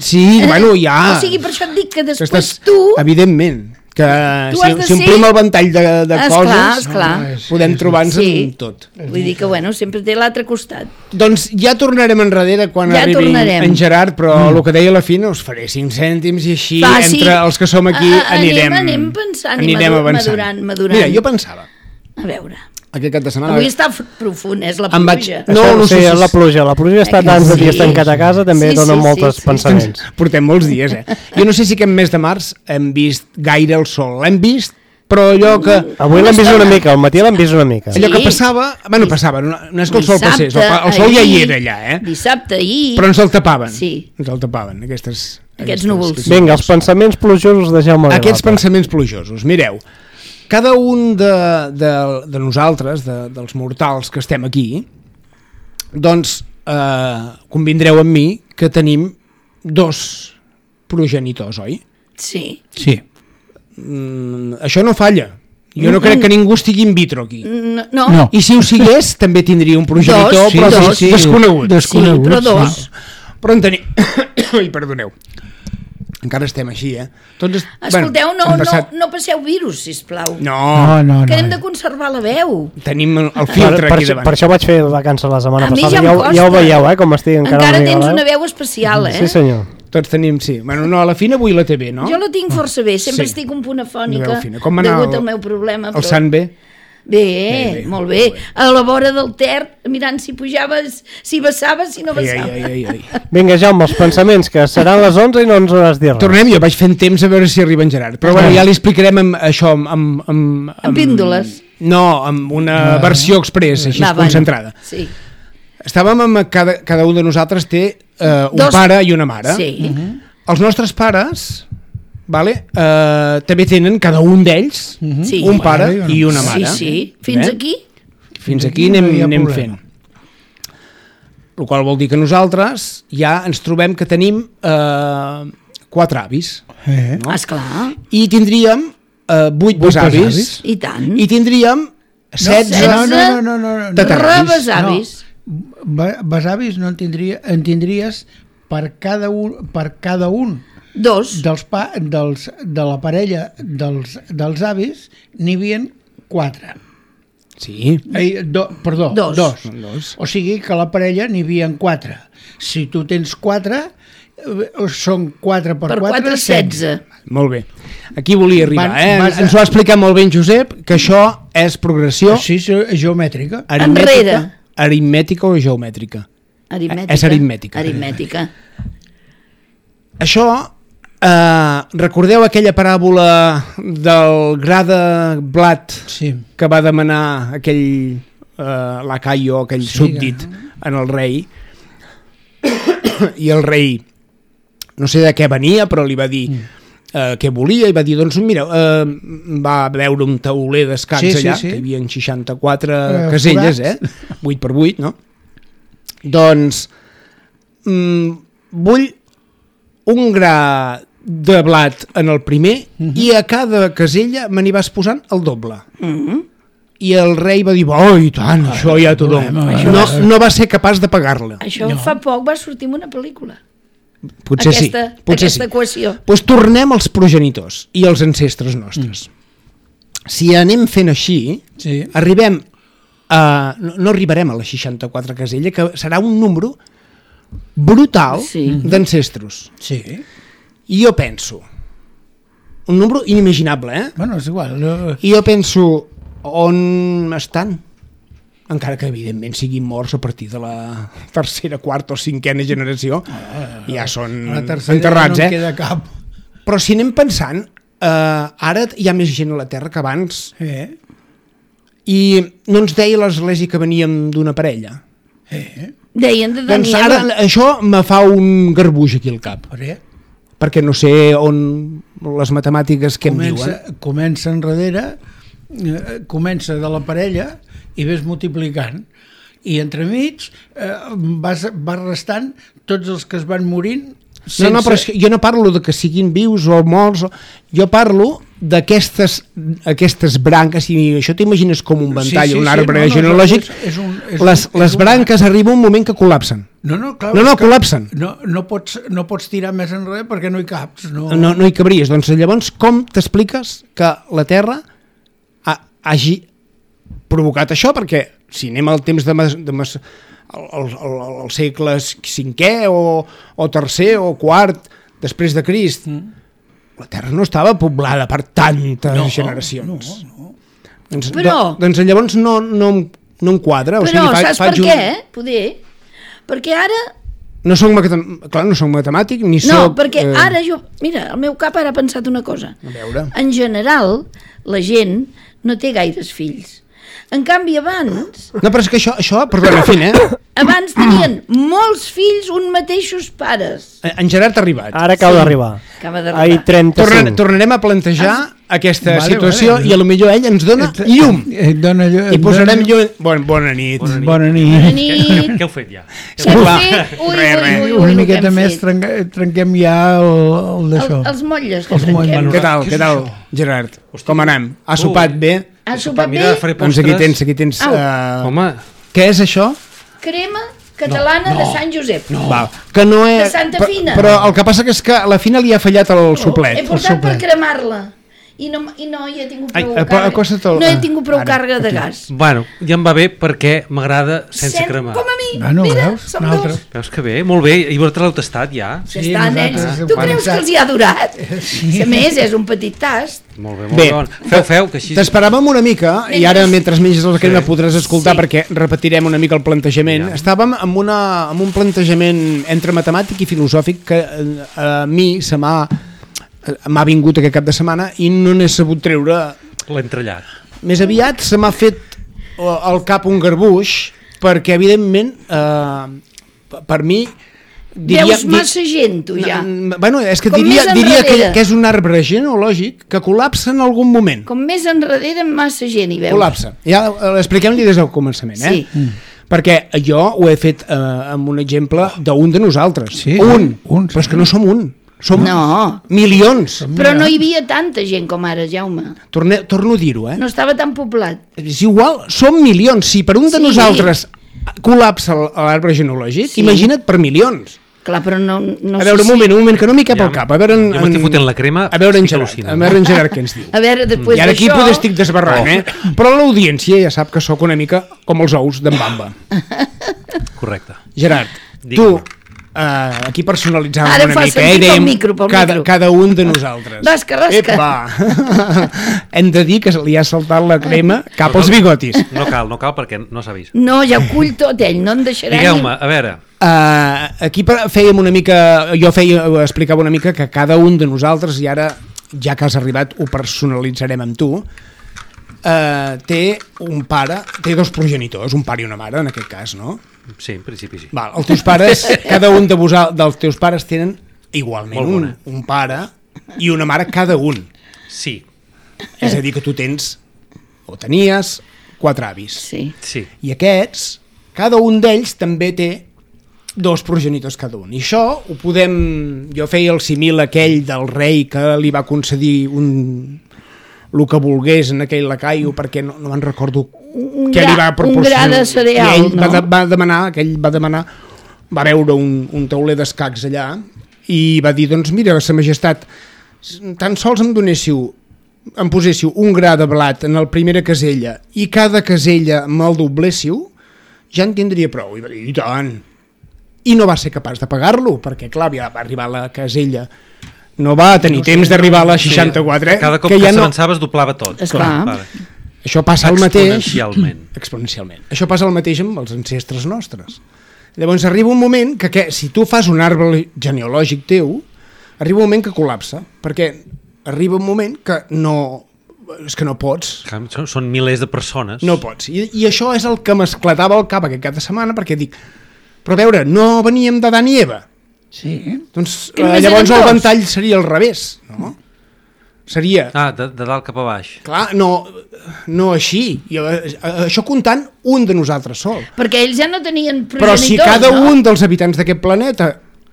Sí, bueno, ja... O sigui, per això et dic que Que després estàs- tu... Evidentment, que Tu si, has de si omplim ser- el ventall de, de Esclar, coses, esclar. No, és- podem trobar-nos Sí. en tot. Vull dir que, bueno, sempre té l'altre costat. Doncs ja tornarem enrere quan Ja arribi tornarem. en Gerard, però mm. el que deia a la fi, us faré cinc cèntims i així, Va, sí. entre els que som aquí, A- a- anem- anirem, anem pensant i anirem madu- avançant. madurant, madurant. Mira, jo pensava, A veure, aquest cap de setmana... avui està f- profund, és la Em vaig- pluja. No, Això, no sí, sé si és la és- pluja. La pluja està Eh, tants de sí. dies tancat a casa, també Sí, dona sí, molts sí, sí. pensaments. Portem molts dies, eh? Jo no sé si aquest mes de març hem vist gaire el sol. L'hem vist, però allò que... Avui l'hem vist una mica, al matí l'hem vist una mica. Sí. Allò que passava... Bueno, passava, no, no és que el sol passés, el, pa- el sol ja hi era allà, eh? Dissabte, ahir... Però ens el tapaven. Sí. Ens el tapaven, aquestes... Aquests núvols. Vinga, els pensaments plujosos de Jaume Aquests Villalta. pensaments plujosos. Mireu, cada un de, de, de nosaltres, de, dels mortals que estem aquí, doncs eh, convindreu amb mi que tenim dos progenitors, oi? Sí. Sí. Mm, això no falla. Jo no crec que ningú estigui in vitro aquí. No. no. No. I si ho sigués, també tindria un progenitor, Dos, però dos. sí, sí, desconegut. Desconegut. Sí, però dos. No. Però en tenim... Ai, perdoneu. Encara estem així, eh? Tots est... Escolteu, bueno, no, han passat... no, no passeu virus, sisplau. No, No, no, Que hem no. de conservar la veu. tenim el Per, filtre per, aquí això- davant. per això vaig fer vacances la setmana A mi passada. ja em Ja, ho- costa. ja ho veieu, eh, com estic encara, Encara una mica tens la una veu. veu especial, eh? Sí, senyor. Tots tenim, sí. Bueno, no, a la fina avui la té bé, no? Jo la tinc força bé, sempre Sí. estic un punt Una afònica veu fina. Com va anar degut el- al meu problema. El sant bé? Bé, Bé, bé, molt bé. molt bé. A la vora del Ter, mirant si pujaves, si vessaves, si no Ai, ai, vessaves. ai, ai, ai. Vinga, Jaume, els pensaments, que seran les onze i no ens hauràs dit res. Tornem, jo vaig fent temps a veure si arriba en Gerard. Però bueno, ja li explicarem amb, això amb... Amb, amb, Amb píndoles. No, amb una versió express, així Va, bueno, concentrada. Sí. Estàvem amb... Cada, cada un de nosaltres té eh, un Dos- pare i una mare. Sí. Els nostres pares... Vale? Uh, també tenen cada un d'ells Sí. un pare Mare i una Sí, mare. sí. Fins Eh? aquí? Fins aquí No anem, hi ha anem problema. fent. El qual vol dir que nosaltres ja ens trobem que tenim eh, quatre avis. Eh? No? Esclar. I tindríem eh, vuit Vuit besavis. besavis. I tant. I tindríem setze... No, no, no, no, no, no. Tataravis. Rebesavis. Be- Besavis no en, tindria, en tindries per cada un, per cada un Dos. dels, pa, dels, de la parella dels, dels avis n'hi havia quatre. Sí. Ai, do, perdó, Dos. dos. Dos. O sigui que a la parella n'hi havia quatre. Si tu tens quatre, eh, són quatre per, Per quatre, quatre, setze. Molt bé. Aquí volia arribar. Van- Eh? vas a- Ens ho ha explicat molt bé en Josep, que això és progressió Sí, sí, geomètrica. aritmètica, Enrere. aritmètica o geomètrica. Aritmètica. És aritmètica. Aritmètica. Això, eh, recordeu aquella paràbola del gra de blat Sí. que va demanar aquell eh, lacaio, aquell Sí, súbdit en el rei, i el rei no sé de què venia, però li va dir eh, què volia, i va dir, doncs mira, eh, va veure un tauler d'escacs Sí, sí, allà, sí. que hi havia seixanta-quatre Eh, caselles, forats. eh? vuit per vuit, no? Doncs mm, vull un gra de blat en el primer i a cada casella me n'hi vas posant el doble. I el rei va dir, oh, i tant, això ja t'ho dono. problema, No, no va ser capaç de pagar-la. Això no. Fa poc va sortir en una pel·lícula. Potser aquesta, sí. Potser aquesta sí. equació. Doncs tornem als progenitors i als ancestres nostres. Si anem fent així, Sí. arribem a... No, no arribarem a les seixanta-quatre casella, que serà un número brutal Sí. d'ancestros. Sí. I jo penso, un número inimaginable, eh? Bueno, és igual. No... I jo penso, on estan? Encara que evidentment siguin morts a partir de la tercera, quarta o cinquena generació, ja són A la tercera enterrats, no en eh? queda cap. Però si anem pensant, eh, ara hi ha més gent a la Terra que abans, Eh? i no ens deia l'Església que veníem d'una parella. Eh? Deien de Doncs Daniela. ara això me fa un garbuix aquí al cap, Per què? perquè no sé on les matemàtiques que em Comença, diuen. comença enrere, eh, comença de la parella i ves multiplicant. I entremig eh, vas, vas restant tots els que es van morint sense... No, no, però és que jo no parlo de que siguin vius o morts, o... jo parlo d'aquestes aquestes branques, i això t'imagines com un ventall, Sí, sí, un sí, arbre no, no, genealògic, és- és un- és les, un- les és un- branques arriba un moment que col·lapsen. No, no, clar, No, no, és que col·lapsen. No, no, pots, no pots tirar més enrere perquè no hi caps. No, No, no hi cabries. Doncs llavors com t'expliques que la Terra ha, hagi provocat això? Perquè si anem al temps de, mas, de mas, el, el, el, el segle cinquè o, o tercer o quart després de Crist, mm. la Terra no estava poblada per tantes No, generacions. no, no. Doncs, Però- do, doncs llavors no, no, em- no em quadra. O Però sigui, fa, saps faig per un... què? Poder. Perquè ara... No soc, matem... Clar, no soc matemàtic ni No, soc... perquè eh, ara jo... Mira, el meu cap ara ha pensat una cosa. A veure... En general, la gent no té gaires fills. En canvi, abans... No, però és que això, això perdona, fin, eh? Abans tenien molts fills un mateixos pares. En Gerard ha arribat. Ara acaba Sí. d'arribar. Acaba Ai, d'arribar. trenta-cinc. Torna, tornarem a plantejar aquesta vale, situació vale. i a lo millor ell ens dona llum. Et dona llum. I posarem llum... Bon, bona nit. Bona nit. Bona nit. nit. nit. Què heu fet ja? Què heu Clar. fet? Ui, Res, ui, res. ui, ui, Una el que miqueta hem més fet. trenca, trenquem ja el, el El, d'això. els motlles que Els trenquem. motlles. Què tal, què tal, Gerard? Com anem? Ha sopat bé? Ha sopat Mira, bé? faré Doncs postres. aquí tens, aquí tens... Au. Uh, Home, què és això? Crema catalana de Sant Josep. No. Val. Que no és... De Santa Fina. Però el que passa que és que a la Fina li ha fallat el He suplet. portat per cremar-la. I no, i no hi he tingut Ai, prou apa- càrrega. acosta't el- No he tingut prou Ara, càrrega de aquí. gas. bueno, ja em va bé perquè m'agrada sense Sen- cremar. Com a mi. Bueno, Mira, veus? som Nosaltres- dos. Veus que bé? Molt bé. I vosaltres l'heu tastat ja? Ja Sí, està, nens. nosaltres Tu hem creus que pensat. els hi ha durat? Sí. A més, és un petit tast. Molt bé, molt Bé, bé. Bon. Feu, feu, que així... t'esperàvem una mica, i ara mentre menges la crema Sí. podràs escoltar Sí. perquè repetirem una mica el plantejament. Ja. Estàvem amb, una, amb un plantejament entre matemàtic i filosòfic que eh, a mi se m'ha m'ha vingut aquest cap de setmana i no n'he sabut treure. L'he entrellat. Més aviat se m'ha fet eh, al cap un garbuix perquè evidentment eh, per mi diria, Veus massa gent, tu, ja. n- bueno, és que Com diria, més diria que, enrere. que és un arbre genealògic que col·lapsa en algun moment. Com més enrere, massa gent hi veus. Col·lapsa. Ja eh, expliquem-li des del començament, eh? Sí. Mm. Perquè jo ho he fet eh, amb un exemple d'un de nosaltres. Sí, un. un, Però és que no som un. Som No. milions. Però no hi havia tanta gent com ara, Jaume. Torne, torno a dir-ho, eh? No estava tan poblat. És igual, som milions. Si per un de Sí. nosaltres col·lapsa l- l'arbre genealògic, Sí. imagina't per milions. Clar, però no, no A veure, sé un moment, un moment, que no m'hi cap Ja al cap. A veure, en, jo m'estic fotent la crema, a veure en estic Gerard, al·lucinant. a veure en Gerard què ens diu. A veure, després I ara aquí d'això... potser estic desbarrant, Oh. eh? Però l'audiència ja sap que sóc una mica com els ous d'en Bamba. Correcte. Gerard, Digue'm. tu, uh, aquí personalitzàvem Ara una fa mica, sentir eh? pel Dèiem micro, pel cada, micro. cada un de nosaltres. Rasca, rasca. Ep, va. Hem de dir que li ha saltat la crema cap als bigotis. No cal, no cal perquè no s'ha vist. No, ja ho cull tot ell, no em deixarà Digueu-me, a veure, Uh, aquí per- fèiem una mica, jo feia, explicava una mica que cada un de nosaltres, i ara ja que has arribat ho personalitzarem amb tu, uh, té un pare, té dos progenitors, un pare i una mare en aquest cas, no? sí, en principi sí. Val, els teus pares, cada un de vosaltres, dels teus pares tenen igualment Molt un, bona. un pare i una mare cada un. Sí, És a dir, que tu tens, o tenies, quatre avis. Sí. sí. I aquests, cada un d'ells també té dos progenitors cada un. I això ho podem... Jo feia el simil aquell del rei que li va concedir un el que volgués en aquell lacaio perquè no, no me'n recordo Un què li gra- va un proporcionar. gra de cereal, I ell va, no? de, va demanar, aquell va demanar, va veure un, un tauler d'escacs allà i va dir, doncs mira, sa majestat, tan sols em donéssiu, em poséssiu un gra de blat en la primera casella i cada casella me'l dobléssiu, ja en tindria prou. I va dir, i tant. I no va ser capaç de pagar-lo, perquè clar, ja va arribar a la casella, no va tenir temps d'arribar a la seixanta-quatre, Cada cop que que, ja no... s'avançava es doblava tot. Esclar. Vale. Això passa el mateix... Exponencialment. Exponencialment. Això passa el mateix amb els ancestres nostres. Llavors arriba un moment que, que si tu fas un arbre genealògic teu, arriba un moment que col·lapsa, perquè arriba un moment que no... és que no pots. Són, són milers de persones. No pots. I, i això és el que m'esclatava al cap aquest cap de setmana, perquè dic, però a veure, no veníem d'Adam i Eva. Sí. Doncs Que eh, només llavors eren el dos. ventall seria al revés, no? Seria... Ah, de, de dalt cap a baix. Clar, no, no així. I, eh, això comptant un de nosaltres sol. Perquè ells ja no tenien progenitors, Però si cada no? un dels habitants d'aquest planeta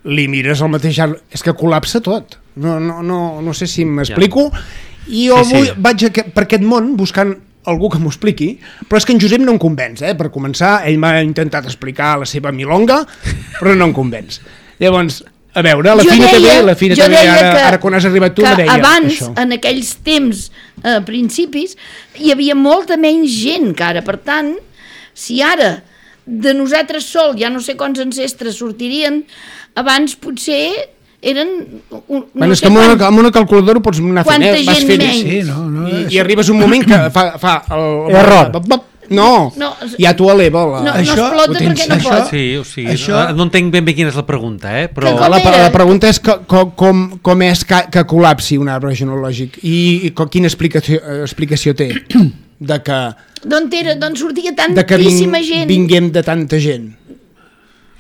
li mires al mateix arbre, és que col·lapsa tot. No, no, no, no sé si m'explico. I jo Sí, sí. avui vaig a, per aquest món buscant algú que m'ho expliqui, però és que en Josep no em convenç, eh? Per començar, ell m'ha intentat explicar la seva milonga, però no em convenç. Llavors, a veure, la Jo Fina deia- també, la Fina jo també, deia ara, que- ara quan has arribat tu, que me deia abans, això. en aquells temps, eh, principis, hi havia molta menys gent que ara. Per tant, si ara de nosaltres sol ja no sé quants ancestres sortirien, abans potser eren... Un, no Bueno, és sé que amb una, quant- amb una calculadora ho pots anar fent, Quanta eh? Vas gent fent, menys. Sí, no, no, I, és- i arribes un moment que fa... fa el, Error. No, No, és- ja t'ho eleva. La... No, Això no ho explota tens- perquè no això- pot. Sí, o sigui, Això- no, no entenc ben bé quina és la pregunta, eh? Però... Que com La, era? la pregunta és que, com, com, com és que, que col·lapsi un arbre genealògic i, i co- quina explicació, eh, explicació té de que, D'on era? D'on sortia de que ving, tantíssima gent? vinguem de tanta gent.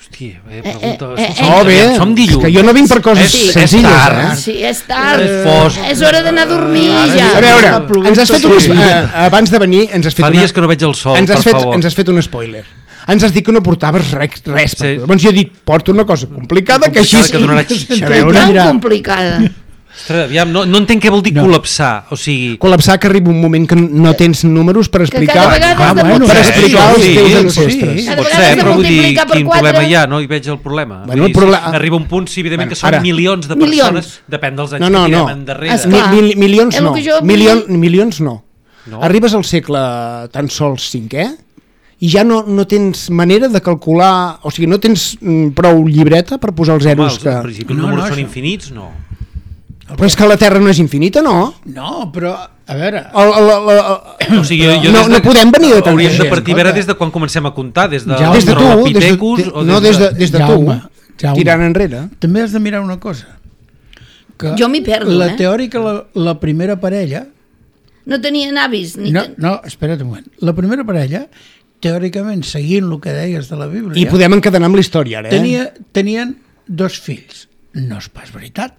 Hòstia, eh, pregunta... Eh, eh, Oh, bé, som dilluns. que jo no vinc per coses És- senzilles, és tard. eh? Sí, és tard. És fosc. És hora d'anar a dormir, ja. A veure, ens has fet un... Sí. Eh, abans de venir, ens has fet Fa una... dies que no veig el sol, ens has per fet, favor. ens has fet un spoiler. Ens has dit que no portaves res. res Sí. Llavors jo he dit, porto una cosa complicada, que així... Complicada, que donarà xitxa. A veure, Tan mira. complicada. Ostres, aviam, no, no entenc què vol dir No. col·lapsar. O sigui... Col·lapsar, que arriba un moment que no tens números per explicar... cada vegada has de Ah, bueno, per multiplicar. explicar els Sí, teus sí, ancestres. Cada Pot vegada ser, has de però vull dir, multiplicar per quin quatre. problema hi ha? No hi veig el problema. Bueno, Vull dir, el proble- si arriba un punt, sí, evidentment Bueno, que són ara. milions de Milions. persones, depèn dels anys No, no, que tirem no. endarrere. Esclar. Mi, mi, milions És el no. que jo vull Milion, dir. milions no. No. Arribes al segle tan sols cinquè i ja no, no tens manera de calcular, o sigui, no tens mm, prou llibreta per posar els Home, zeros els, que... en principi els No, números no, són això. infinits, no. Però és que la Terra no és infinita, no? No, però, a veure... El, el, el, el, O sigui, jo, jo no, des de, no podem venir de tanta Hauríem de gent. partir a veure des de quan comencem a comptar, des de Jaume. Des de tu, des de, l'Australopithecus de, o no, des de, des de tu, Jaume, Jaume. tirant enrere. També has de mirar una cosa. Que Jo m'hi perdo, la eh? teòrica, la, la primera parella... No tenien avis. Ni No, ten- no, espera't un moment. La primera parella, teòricament, seguint el que deies de la Bíblia... I podem encadenar amb la història, ara, eh? Tenia, tenien dos fills. No és pas veritat.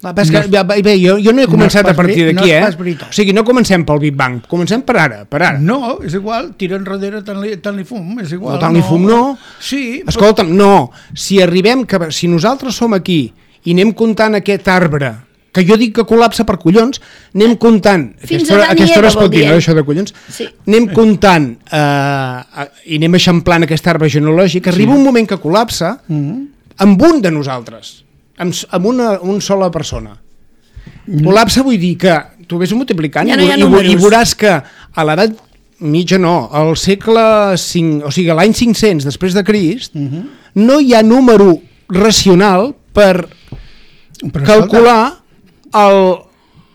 Va, però és que, No és- bé, bé, jo, jo no he no començat és a pas partir veri- no d'aquí, és eh? pas veritat. O sigui, no comencem pel Big Bang, comencem per ara, per ara. No, és igual, tira enrere tant li, tant li fum, és igual. No, tant li fum, no. Sí, Escolta'm, no, si arribem, que, si nosaltres som aquí i anem comptant aquest arbre, que jo dic que col·lapsa per collons, anem comptant... Fins aquesta hora, a Adán i aquesta hora Eva, es pot vol dir, dir, no, eh? això de collons? Sí. Anem comptant eh, i anem eixamplant aquest arbre genealògic, arriba un moment que col·lapsa Mm. amb un de nosaltres, amb, s- amb una, una sola persona. Col·lapsa vull dir que tu vés multiplicant Ja no i, hi ha i, i números. veuràs que a l'edat mitja no, al segle cinc, o sigui, a l'any cinc-cents després de Crist, no hi ha número racional per Però, calcular el,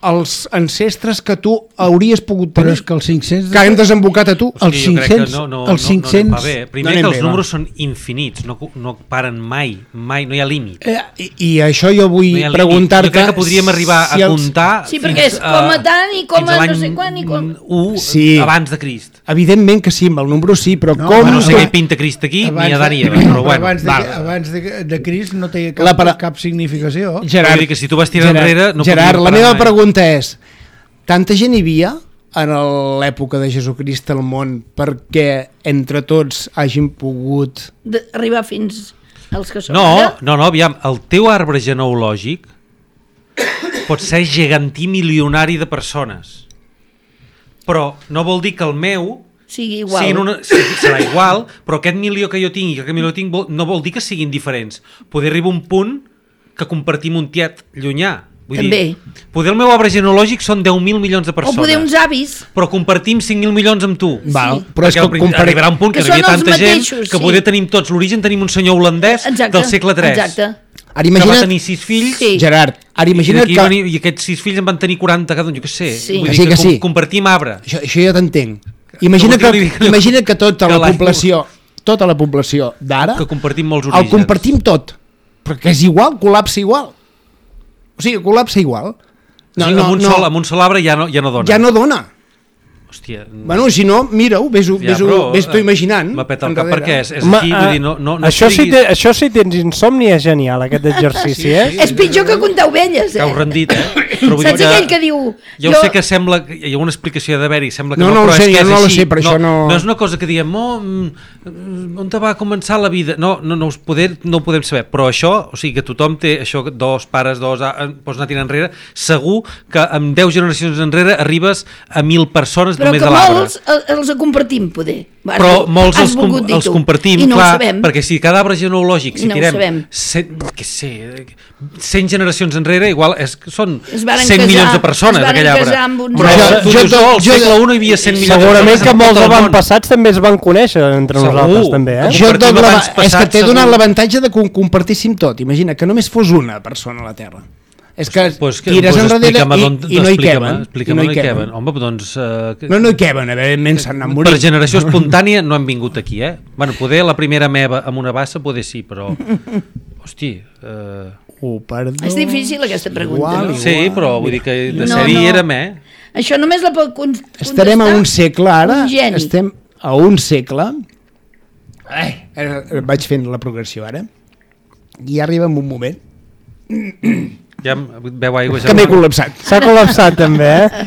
els ancestres que tu hauries pogut Però tenir, és que els cinc-cents... que han desembocat a tu. Els Sí, jo crec que cinc-cents, no, no, els no, cinc-cents... no anem bé. Primer no anem que els bé, números va. són infinits, no, no paren mai, mai, no hi ha límit. Eh, I, I això jo vull No hi ha límit. preguntar-te... Jo crec que podríem arribar si a els- comptar Sí, perquè és com a tant i com fins a l'any no sé quan i com... u Sí. abans de Crist. Evidentment que sí, amb el número sí, però No, com... Bueno, no sé que- què hi pinta Crist aquí, abans ni a de- Dan i Eva, però bueno. abans de, val. abans de, de Crist no té cap, La para- cap significació. Gerard, Vull dir que si tu vas tirar enrere, no Gerard, podríem la parar meva mai. pregunta és, tanta gent hi havia en l'època de Jesucrist al món perquè entre tots hagin pogut... de- Arribar fins als que són No, ara. no, no, aviam, el teu arbre genealògic pot ser gegantí milionari de persones, però no vol dir que el meu Sigui igual. siguin una, sí, serà igual, però aquest milió que jo tinc i aquest milió que tinc vol, no vol dir que siguin diferents. Poder arribar a un punt que compartim un tiet llunyà. Vull També. dir, poder el meu arbre genealògic són deu mil milions de O persones. poder uns avis. Però compartim cinc mil milions amb tu. Val, Sí. però és Perquè que al prin- compari- arribarà un punt que, Que hi havia són els tanta gent mateixos, que sí. poder tenim tots l'origen, tenim un senyor holandès Exacte. del segle tres. Exacte. Ara Que va imagina't, tenir sis fills Sí. Gerard, ara i, imagina't d'aquí que... van, i aquests sis fills en van tenir quaranta cada un, jo què sé. Sí. Vull Que dir sí, que com- sí. compartim arbre. Això, això ja t'entenc. Imagina Que vol que, dir que- imagina que tota que la l'any- població, tota la població d'ara, Que compartim molts el orígens. compartim tot, perquè és igual, col·lapsa igual. O sigui, col·lapsa igual. No, o sigui, amb, un sol, amb un sol arbre ja no, ja no dona. ja no dona. Hòstia, Bueno, si no, mira-ho, ves-ho ja, ves però, ves tu imaginant. M'ha peta el cap enrere. perquè és, és Home, aquí, vull eh, dir, no, no, no això, si estiguis- te, això si tens insomni és genial, aquest exercici, eh? És pitjor que comptar ovelles, eh? T'heu rendit, eh? Però vull Saps dir aquell que diu... Ja ho sé que sembla... Hi ha una explicació d'haver-hi, sembla que No, no, no ho però sé, és que jo és no ho així. sé, però això no- No és una cosa que diem, oh, mm, on te va començar la vida? No, no, no, us poder, no ho podem saber, però això, o sigui, que tothom té això, dos pares, dos, ah, pots anar tirant enrere, segur que amb deu generacions enrere arribes a mil persones Però només que de l'arbre. molts el- els compartim, poder. Has Però vol- molts has els, com, volgut dir els tu. compartim, I no clar, ho sabem. perquè si cada arbre genealògic, si No ho tirem sabem. cent, què sé, cent generacions enrere, igual és, són Es varen cent casar- milions de persones es varen aquell arbre. casar amb uns Però altres. tu Jo- dius, jo- oh, al jo- segle un hi havia cent milions de Segurament persones que en tot molts el món. avantpassats també es van conèixer entre Segur. nosaltres, també, eh? Jo- Jo Compartim tot la, abans és que passat, t'he donat segur. l'avantatge de que ho compartíssim tot. Imagina que només fos una persona a la Terra. És que Pues, que, tires pues enrere explica'm i, on, i no hi explica'm, queben. explica'm I no on hi queben. Home, doncs... Uh, No, no hi queben, evidentment s'han anat morint. per generació espontània no han vingut aquí, eh? Bueno, poder la primera meva amb una bassa, poder sí, però... Hosti... Uh... Oh, perdó. És difícil aquesta pregunta. Igual, no? igual. Sí, però vull dir que de No, sèrie no. érem, eh? Això només la pot con- contestar Estarem a un segle ara, un geni. estem a un segle Eh, vaig fent la progressió ara. I arriba en un moment ja veu aigua que m'he col·lapsat. S'ha col·lapsat també, eh?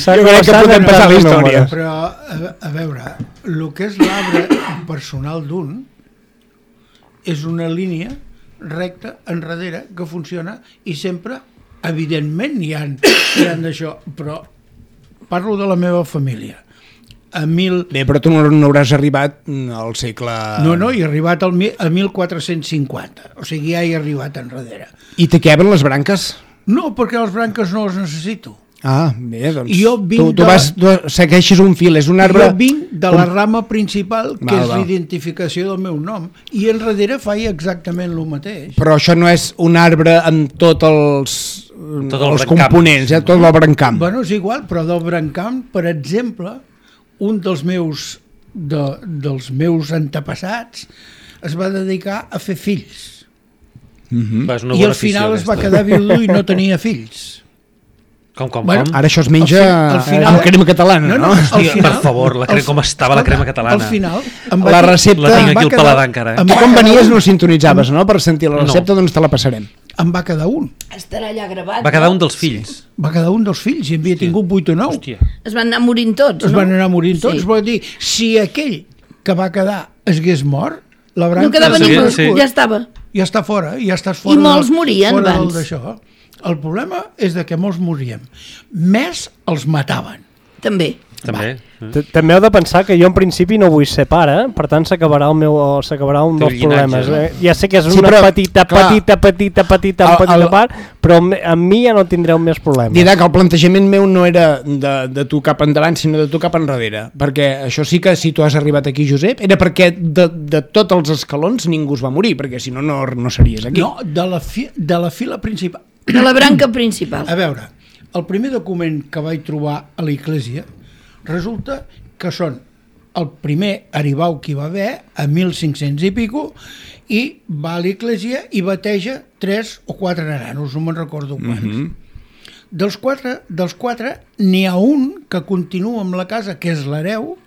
S'ha Jo crec que podem passar la història. Però, a, a veure, el que és l'arbre personal d'un és una línia recta enrere que funciona i sempre, evidentment, hi ha, hi ha d'això, però parlo de la meva família. A mil... Bé, però tu no, no hauràs arribat al segle... No, no, he arribat al, a mil quatre-cents cinquanta, o sigui, ja he arribat enrere. I te queben les branques? No, perquè les branques no les necessito. Ah, bé, doncs jo vinc tu, tu, de... vas, tu segueixes un fil, és un arbre... Jo vinc de la rama principal, que val, és val. l'identificació del meu nom, i enrere faig exactament el mateix. Però això no és un arbre amb tots els, tot el els components, eh? Tot el brancamp. Bueno, és igual, però del brancamp, per exemple, un dels meus, de, dels meus antepassats es va dedicar a fer fills. Mm-hmm. I al final es va quedar viudo i no tenia fills. Com, com, Bueno, com? Ara això es menja al final- amb crema catalana, no? No, no, no? al Hòstia, final- per favor, la crema, com estava la crema catalana. Al final... em va La dir- recepta- La tinc em va aquí al quedar- paladar encara, eh? em Tu va quan quedar venies un- no sintonitzaves, no? Per sentir la No. recepta, doncs te la passarem. Em va quedar un. Estarà allà gravat. Va quedar no? un dels fills. Va quedar un dels fills, i havia tingut vuit o nou. Hòstia. Es van anar morint tots, Es no? van anar morint tots. Sí. Vol dir, si aquell que va quedar es hagués mort, la branca... No quedava Sí, ningú, sí. ja estava. Ja està fora, ja estàs fora. I molts del- morien fora del abans. d'això. El problema és de que molts moríem. Més els mataven. També. També. T- També heu de pensar que jo en principi no vull ser pare, per tant s'acabarà el meu s'acabarà un Teu dels llinatge, problemes. no? Eh? Ja sé que és Sí, una però, petita, clar, petita, petita, petita, el- petita el- part, però amb, amb mi ja no tindreu més problemes. Dirà que el plantejament meu no era de, de tu cap endavant, sinó de tu cap enrere, perquè això sí que si tu has arribat aquí, Josep, era perquè de, de tots els escalons ningú es va morir, perquè si no, no, no series aquí. No, de la, fi, de la fila principal. De la branca principal. A veure, el primer document que vaig trobar a l'església resulta que són el primer aribau que hi va haver a mil cinc-cents i pico i va a l'església i bateja tres o quatre nanos, no me'n recordo quants. Mm-hmm. Dels quatre, dels quatre n'hi ha un que continua amb la casa, que és l'hereu,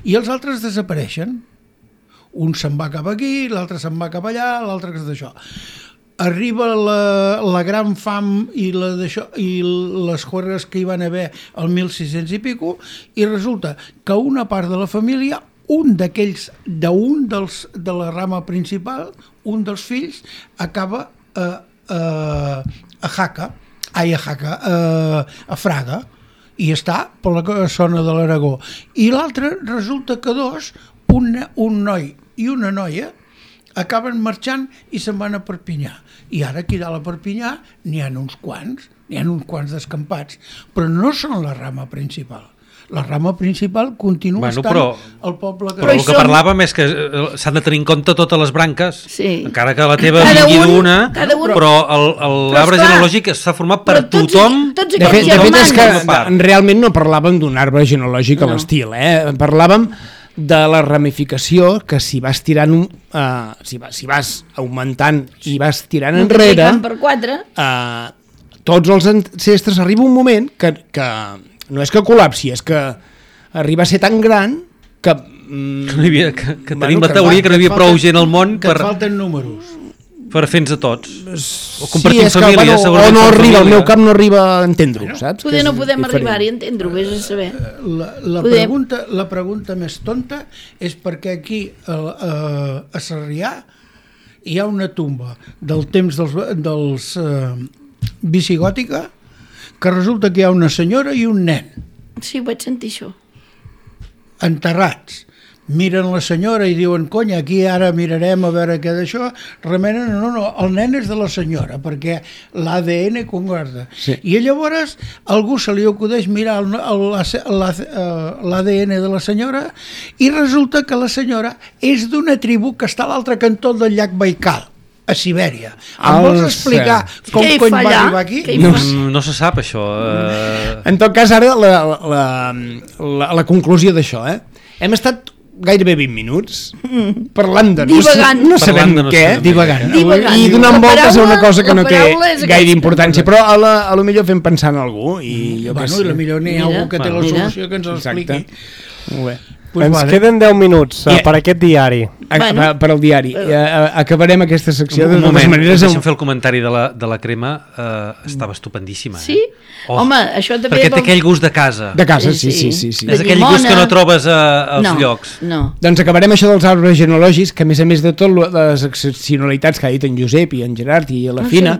i els altres desapareixen. Un se'n va cap aquí, l'altre se'n va cap allà, l'altre que és d'això. Arriba la, la gran fam i, la d'això, i les guerres que hi van haver al mil sis-cents i pico, i resulta que una part de la família, un d'aquells, d'un dels de la rama principal, un dels fills, acaba a, a, a Jaca, ai, a Jaca, a, a Fraga, i està per la zona de l'Aragó. I l'altre resulta que dos, un, un noi i una noia, acaben marxant i se'n van a Perpinyà. I ara aquí dalt a Perpinyà n'hi ha uns quants, n'hi ha uns quants descampats, però no són la rama principal. La rama principal continua Bueno, estant però- al poble que... Però el que som- parlàvem és que eh, s'han de tenir en compte totes les branques, Sí. encara que la teva Cada vingui un- d'una, cada un- però el- el- Però l'arbre esclar, genealògic està format per però tots- tothom. tots De fet, aquests de fet és que germans. part. realment no parlàvem d'un arbre genealògic a No. l'estil, eh? Parlàvem de la ramificació que si vas tirant un, uh, si, vas, si vas augmentant i vas tirant enrere Multiplicant per quatre. uh, tots els ancestres arriba un moment que, que no és que col·lapsi, és que arriba a ser tan gran que, mm, Que, no hi havia, que, que Bueno, tenim la que teoria fa- que no hi havia et prou falten- gent al món que per, et falten números. per fer-nos a tots. O sí, compartim és que, família, bueno, segurament o no per arriba, el família. meu cap no arriba a entendre-ho, saps? Que Poder és no podem diferent. arribar-hi a entendre-ho, vés a saber. La, la, Podem. pregunta, la pregunta més tonta és perquè aquí a, a, a Sarrià hi ha una tumba del temps dels, dels uh, visigòtica que resulta que hi ha una senyora i un nen Sí, ho vaig sentir això. enterrats. Miren la senyora i diuen, conya, aquí ara mirarem a veure què d'això. Remenen, no, no, el nen és de la senyora, perquè l'A D N concorda. Sí. I llavors algú se li acudeix mirar el- el- la- la- eh, l'A D N de la senyora i resulta que la senyora és d'una tribu que està a l'altre cantó del llac Baikal, a Sibèria. Em vols Alça. explicar com Què hi cony fa va allà? arribar aquí? Què hi No fa? sé. Mm, No se sap això. Eh... En tot cas, ara la, la, la, la conclusió d'això, eh? Hem estat gairebé vint minuts parlant de no, Divagant. no sabem Parlant de no què, sabem divagant, Divagant. i donant La voltes a una paraula- cosa que la no té paraula és gaire aquesta. importància, però a la, a lo millor fem pensar en algú i jo què Bueno, sé. i la millor n'hi ha Mira, algú que té la bueno, mira. solució que ens l'expliqui. Exacte. Molt bé. Pues Ens vale. queden deu minuts uh, per aquest diari. A, bueno. Per al diari. Uh, acabarem aquesta secció un, de totes moment, maneres. Deixa'm fer el comentari de la, de la crema. Uh, estava estupendíssima. Sí? Eh? Oh, Home, això també... Perquè té aquell gust de casa. De casa, sí, sí. sí, sí. És aquell gust que no trobes a, als no, llocs. No. Doncs acabarem això dels arbres genealògics, que a més a més de tot, les excepcionalitats que ha dit en Josep i en Gerard i la no Fina,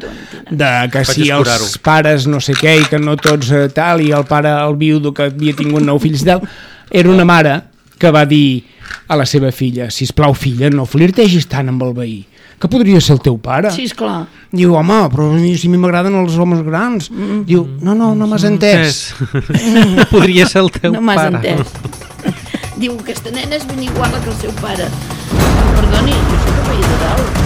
de que Faig si els pares no sé què i que no tots eh, tal, i el pare, el viudo que havia tingut nou fills i tal, era una mare que va dir a la seva filla: sisplau, filla, no flirtegis tant amb el veí, que podria ser el teu pare. Sí, esclar. Diu, home, però si a mi m'agraden els homes grans. Mm. Diu, no, no, no m'has entès. Podria ser el teu no pare. No m'has entès. Diu, aquesta nena és ben igual que el seu pare. Perdoni, jo soc a veí de dalt.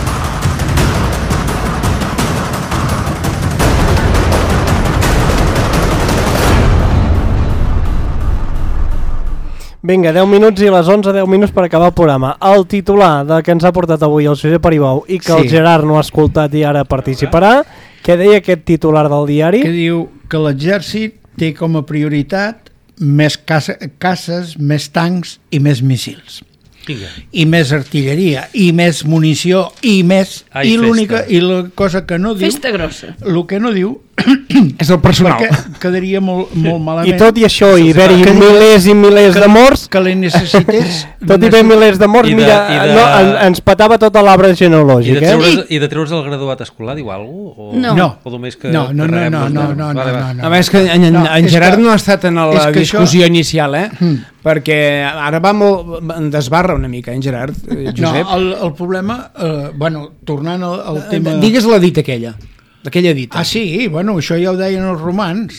Vinga, deu minuts i a les onze, deu minuts per acabar el programa. El titular de que ens ha portat avui el Josep Aribau i que sí. el Gerard no ha escoltat i ara participarà, què deia aquest titular del diari? Que diu que l'exèrcit té com a prioritat més caces, més tancs i més míssils. Vinga. I més artilleria, i més munició, i més... Ai, i l'única, i la cosa que no diu... Festa grossa. El que no diu... és el personal. Perquè quedaria molt, molt malament. I tot i això, i haver-hi milers i milers que, de morts... Que li necessités... tot i haver milers de morts, de, mira, de, no, en, ens patava tota l'arbre genealògic. I de treure's, eh? I de treure's el graduat escolar, diu alguna cosa? No. No. O només que... No, no, no, no, no, no, no, no, no. A més que en, en, no, en Gerard que, no ha estat en la discussió això... inicial, eh? Mm. Perquè ara va molt... desbarra una mica, en Gerard, eh, Josep. No, el, el problema... Eh, bueno, tornant al, al tema... Digues la dita aquella. Aquella dita. Ah, sí, bueno, això ja ho deien els romans.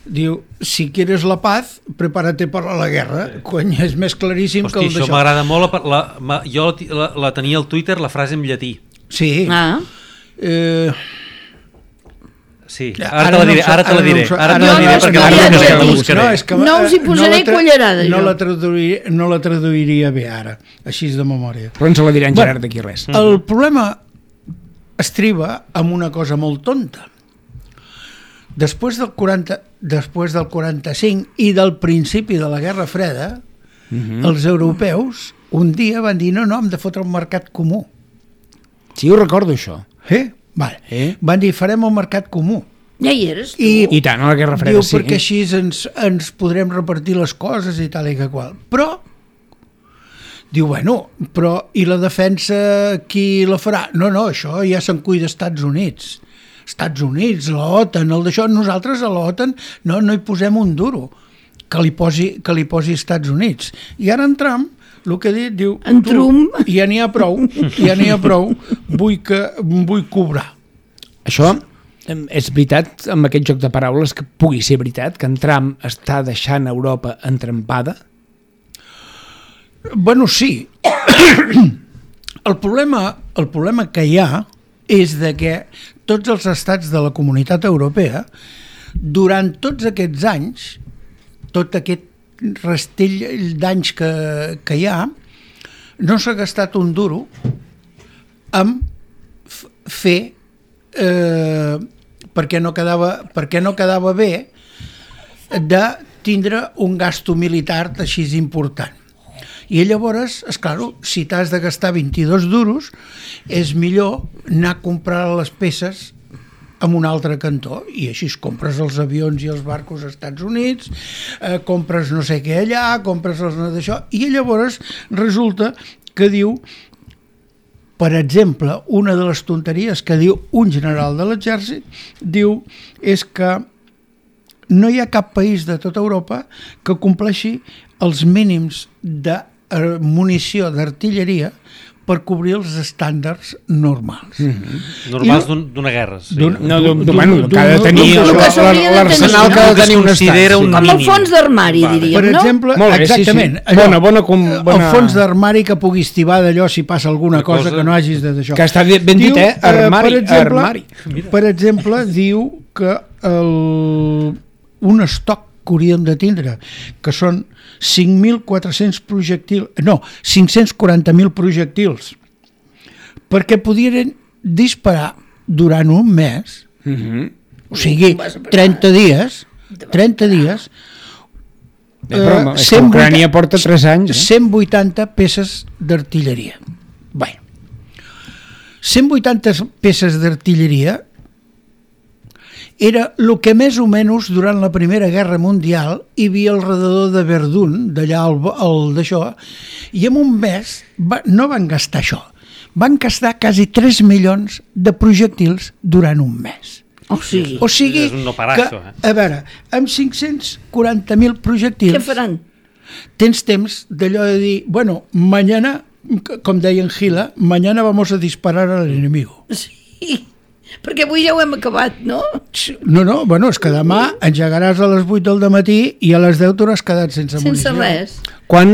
Diu, si quieres la paz, prepárate para la guerra. Cony, és més claríssim Hosti, que el d'això. Això m'agrada molt. La, la, jo la, la tenia al Twitter, la frase en llatí. Sí. Ah. Eh... Sí, ara, ara te la diré, ara te la diré, ara te la diré perquè no, no, no, la buscaré. No, és que, no us hi posaré no cullerada, no la, traduiria, no la traduiria bé ara, així de memòria. Però ens la dirà en Gerard d'aquí res. El problema estriba amb una cosa molt tonta. Després del, quaranta, després del quaranta-cinc i del principi de la Guerra Freda, uh-huh. els europeus un dia van dir no, no, hem de fotre un mercat comú. Sí, ho recordo, això. Eh? Vale. Eh? Van dir, farem un mercat comú. Ja hi eres tu. I, I tant, a la Guerra Freda, diu, sí. perquè així ens, ens podrem repartir les coses i tal i que qual. Però, diu, bueno, però i la defensa qui la farà? No, no, això ja se'n cuida Estats Units. Estats Units, l'OTAN, el d'això, nosaltres a l'OTAN no, no hi posem un duro que li posi, que li posi Estats Units. I ara en Trump, el que ha dit, diu, en Trump, ja n'hi ha prou, ja n'hi ha prou, vull, que, vull cobrar. Això és veritat, amb aquest joc de paraules, que pugui ser veritat, que en Trump està deixant Europa entrampada? Bueno, sí. El problema, el problema que hi ha és de que tots els estats de la Comunitat Europea, durant tots aquests anys, tot aquest rastell d'anys que, que hi ha, no s'ha gastat un duro en fer eh, perquè, no quedava, perquè no quedava bé de tindre un gasto militar així important. I llavors, esclar, si t'has de gastar vint-i-dos duros, és millor anar a comprar les peces en un altre cantó, i així compres els avions i els barcos als Estats Units, eh, compres no sé què allà, compres els d'això, i llavors resulta que diu, per exemple, una de les tonteries que diu un general de l'exèrcit, diu, és que no hi ha cap país de tota Europa que compleixi els mínims de munició d'artilleria per cobrir els estàndards normals. Mm-hmm. Normals no, d'una guerra. Sí. No, bueno, que ha de tenir l'arsenal que ha de tenir un estat. Com el fons d'armari, diríem, per exemple, no? Exactament. Sí, sí. Bona, bona, com, bona... El fons d'armari que puguis tibar d'allò si passa alguna cosa, cosa que no hagis de d'això. Que està ben dit, eh? Armari. Per exemple, armari. Per exemple diu que el, un estoc que hauríem de tindre, que són cinc mil quatre-cents projectils, no, cinc-cents quaranta mil projectils, perquè podien disparar durant un mes, mm-hmm. o sigui, trenta dies, trenta dies, Eh, però és que Ucrània porta tres anys. Eh? cent vuitanta peces d'artilleria. Bé, cent vuitanta peces d'artilleria era el que més o menys durant la Primera Guerra Mundial hi havia al redador de Verdun, d'allà al, al d'això, i en un mes va, no van gastar això, van gastar quasi tres milions de projectils durant un mes. O sigui, o sigui és un no parar, que, això, eh? a veure, amb cinc-cents quaranta mil projectils... què faran? Tens temps d'allò de dir, bueno, mañana, com deia en Gila, mañana vamos a disparar al enemigo. Sí, perquè avui ja ho hem acabat, no? No, no, bueno, és que demà engegaràs a les vuit del matí i a les deu t'hauràs quedat sense, Sense munició. res. Quan,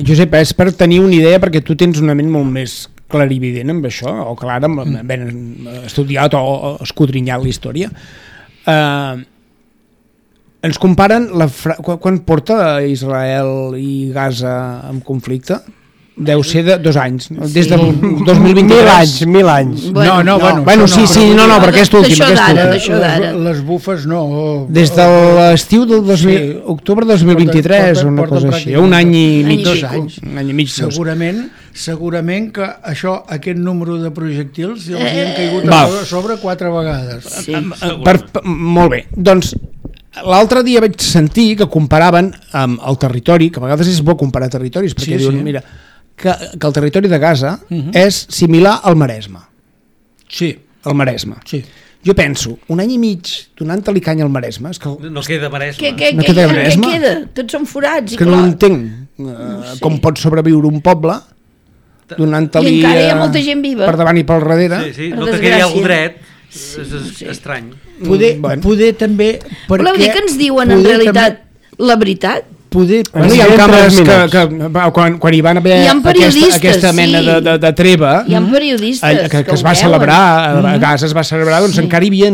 Josep, és per tenir una idea, perquè tu tens una ment molt més clarivident amb això, o clara, amb ben estudiat o, o escudrinyat la història. Eh, ens comparen la fra... quan porta Israel i Gaza en conflicte? Deu ser de dos anys, no? Des del dos mil vint-i-tres. Mil anys, mil anys. Bueno, no, no, bueno, bueno sí, sí, no, no, perquè és últim. D'això d'ara, d'això les, d'ara. les bufes no. Des de l'estiu del dos mil, sí. octubre del dos mil vint-i-tres, Porta- una porta cosa així, pràcticament un any i Any mig. i dos pico. anys. Un any i mig, dos. Segurament, segurament que això, aquest número de projectils els hi han caigut Va. a sobre, sobre quatre vegades. Sí. Per, per, molt bé, doncs l'altre dia vaig sentir que comparaven amb el territori, que a vegades és bo comparar territoris, perquè Sí, diuen, sí. mira, que, que el territori de Gaza Mhm. és similar al Maresme. Sí, El Maresme. sí. Jo penso, un any i mig donant-li canya al Maresme, és que, No queda Maresme. Què, què, No què, queda què, què Maresme? queda? Tots són forats i que no clar. entenc eh, com pot sobreviure un poble donant-li I encara hi ha eh, molta gent viva. per davant i pel darrere. Sí, sí, Per no te quedi desgràcia. algú dret. Sí, És, és sí. estrany. Poder, Mm, bueno. poder també... Perquè, Voleu dir que ens diuen en poder realitat També, la veritat? poder, Bueno, hi ha Ens càmeres diuen que, tres que va, quan, quan hi van haver Hi ha aquesta, periodistes, aquesta mena sí. de, de, de treva Hi ha periodistes eh, que, que que es ho va veuen. celebrar a Gaza es va celebrar, doncs Sí. encara hi havia,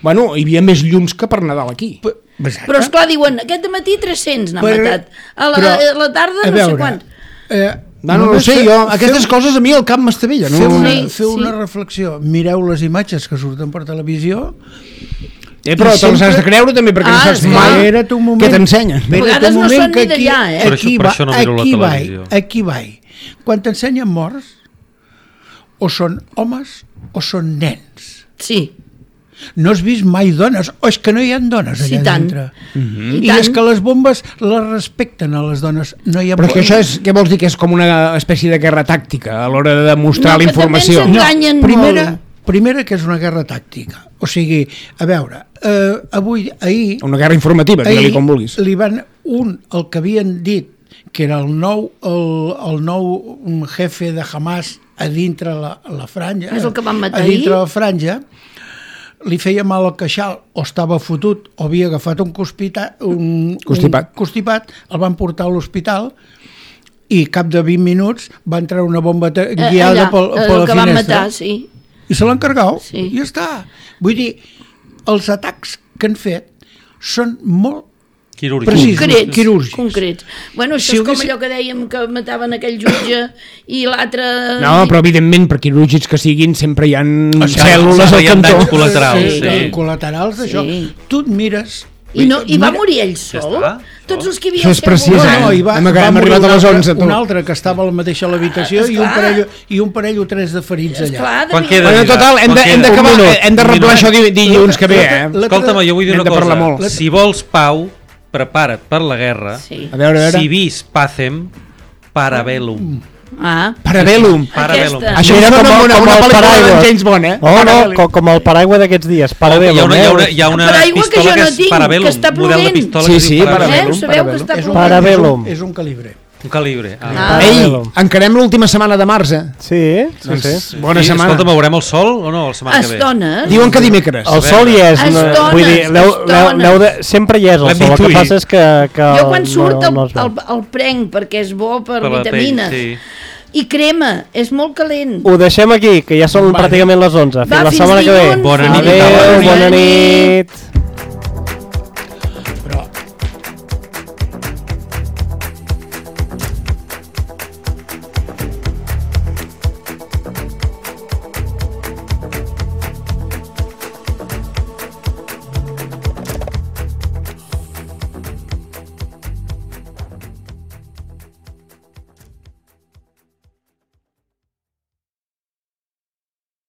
bueno, hi havia més llums que per Nadal aquí. Exacte. Però esclar, diuen, aquest matí tres-cents n'han Per- matat. A la, però, a la tarda a no sé veure, quant. Eh, No, no, no només sé, fe- jo, feu- aquestes coses a mi el cap m'estavella. No? Feu una, Sí, feu sí. una reflexió, mireu les imatges que surten per televisió. Eh, però I te les has sempre- de creure també, perquè no Ah, saps esclar. mai Espera't un moment. què t'ensenyen. A vegades no són ni d'allà, eh? Per Aquí, això- per va, això no miro la aquí, va, televisió. aquí va. Quan t'ensenyen morts, o són homes o són nens. Sí, No has vist mai dones, o és que no hi ha dones allà Sí, tant. dintre. i I tant. és que les bombes les respecten a les dones. No hi ha Però és que això és, què vols dir? Que és com una espècie de guerra tàctica a l'hora de demostrar No, la que també informació. ens enganyen primera, molt. primera que és una guerra tàctica. O sigui, a veure, eh, avui, ahir... Una guerra informativa, digue-li com vulguis. li van un, el que havien dit que era el nou, el, el nou jefe de Hamas a dintre la, la franja, És el que van matar a dintre ahir? la franja, li feia mal al queixal, o estava fotut, o havia agafat un, constipat, un, Constipat. un constipat, el van portar a l'hospital i cap de vint minuts va entrar una bomba te- Eh, guiada allà, pel, el per la que van finestra. matar, sí. I se l'han cargat, Sí. i ja està. Vull dir, els atacs que han fet són molt Quirúrgic. Precís. Concrets, quirúrgics. concrets. Bueno, això Si és com haguessin- allò que dèiem que mataven aquell jutge i l'altre... No, però evidentment, per quirúrgics que siguin, sempre hi ha Això, cèl·lules hi al ha cantó. danys col·laterals, sí, sí. col·laterals d'això. Sí. Tu et mires... I, no, I va mira- morir ell Ja sol? està. Tots els que hi havia Això és al seu precís, voltant. eh? No, i va, Hem- va hem morir arribat un a les altre- onze, tu. un altre que estava a la mateixa a l'habitació i, un Esclar. parell, i un parell o tres de ferits allà. Esclar, Quan de queda? Bueno, total, hem de- hem Un d'acabar, minut, hem de un reblar minut. això di- dilluns que ve, eh? La- Escolta'm, jo vull dir Hem una de parlar cosa. molt. Si vols pau, prepara't per la guerra. Sí. A veure, a veure. Si vis pacem, parabellum. Ah, Parabellum. Parabellum. Aquesta. Això Mira sona com, com una, com una el pel·lícula paraigua. de James Bond, eh? Oh, no, Parabellum. com, com el paraigua d'aquests dies. Parabellum, hi ha una, hi ha una, eh? hi ha una Paraigua que pistola jo que, no és tinc, parabellum, que està model de plovent. pistola Sí, que es sí, diu parabellum. parabellum. Eh? Sabeu que Parabellum. està És un, plovent? Parabellum. és un, és un calibre. Un calibre. Ah. Ah. Ei, Parabellum. encarem l'última setmana de març, eh? Sí, sí, Doncs, sí. bona I, setmana. Escolta, veurem el sol o no la setmana que ve? Estones. Diuen que dimecres. El sol hi és. no- Estones, vull dir, l'heu- l'heu- estones. l'heu de, sempre hi és el L'hem sol. El que d'intuir. passa és que... que Jo quan surt no, el, no es veu. el, el prenc perquè és bo per, Per la pell, vitamines. sí. I crema, és molt calent. Ho deixem aquí, que ja són Vale. pràcticament les onze. Fins Va, la fins setmana que ve. dilluns. Bona nit. Adéu, Bona bona nit. nit.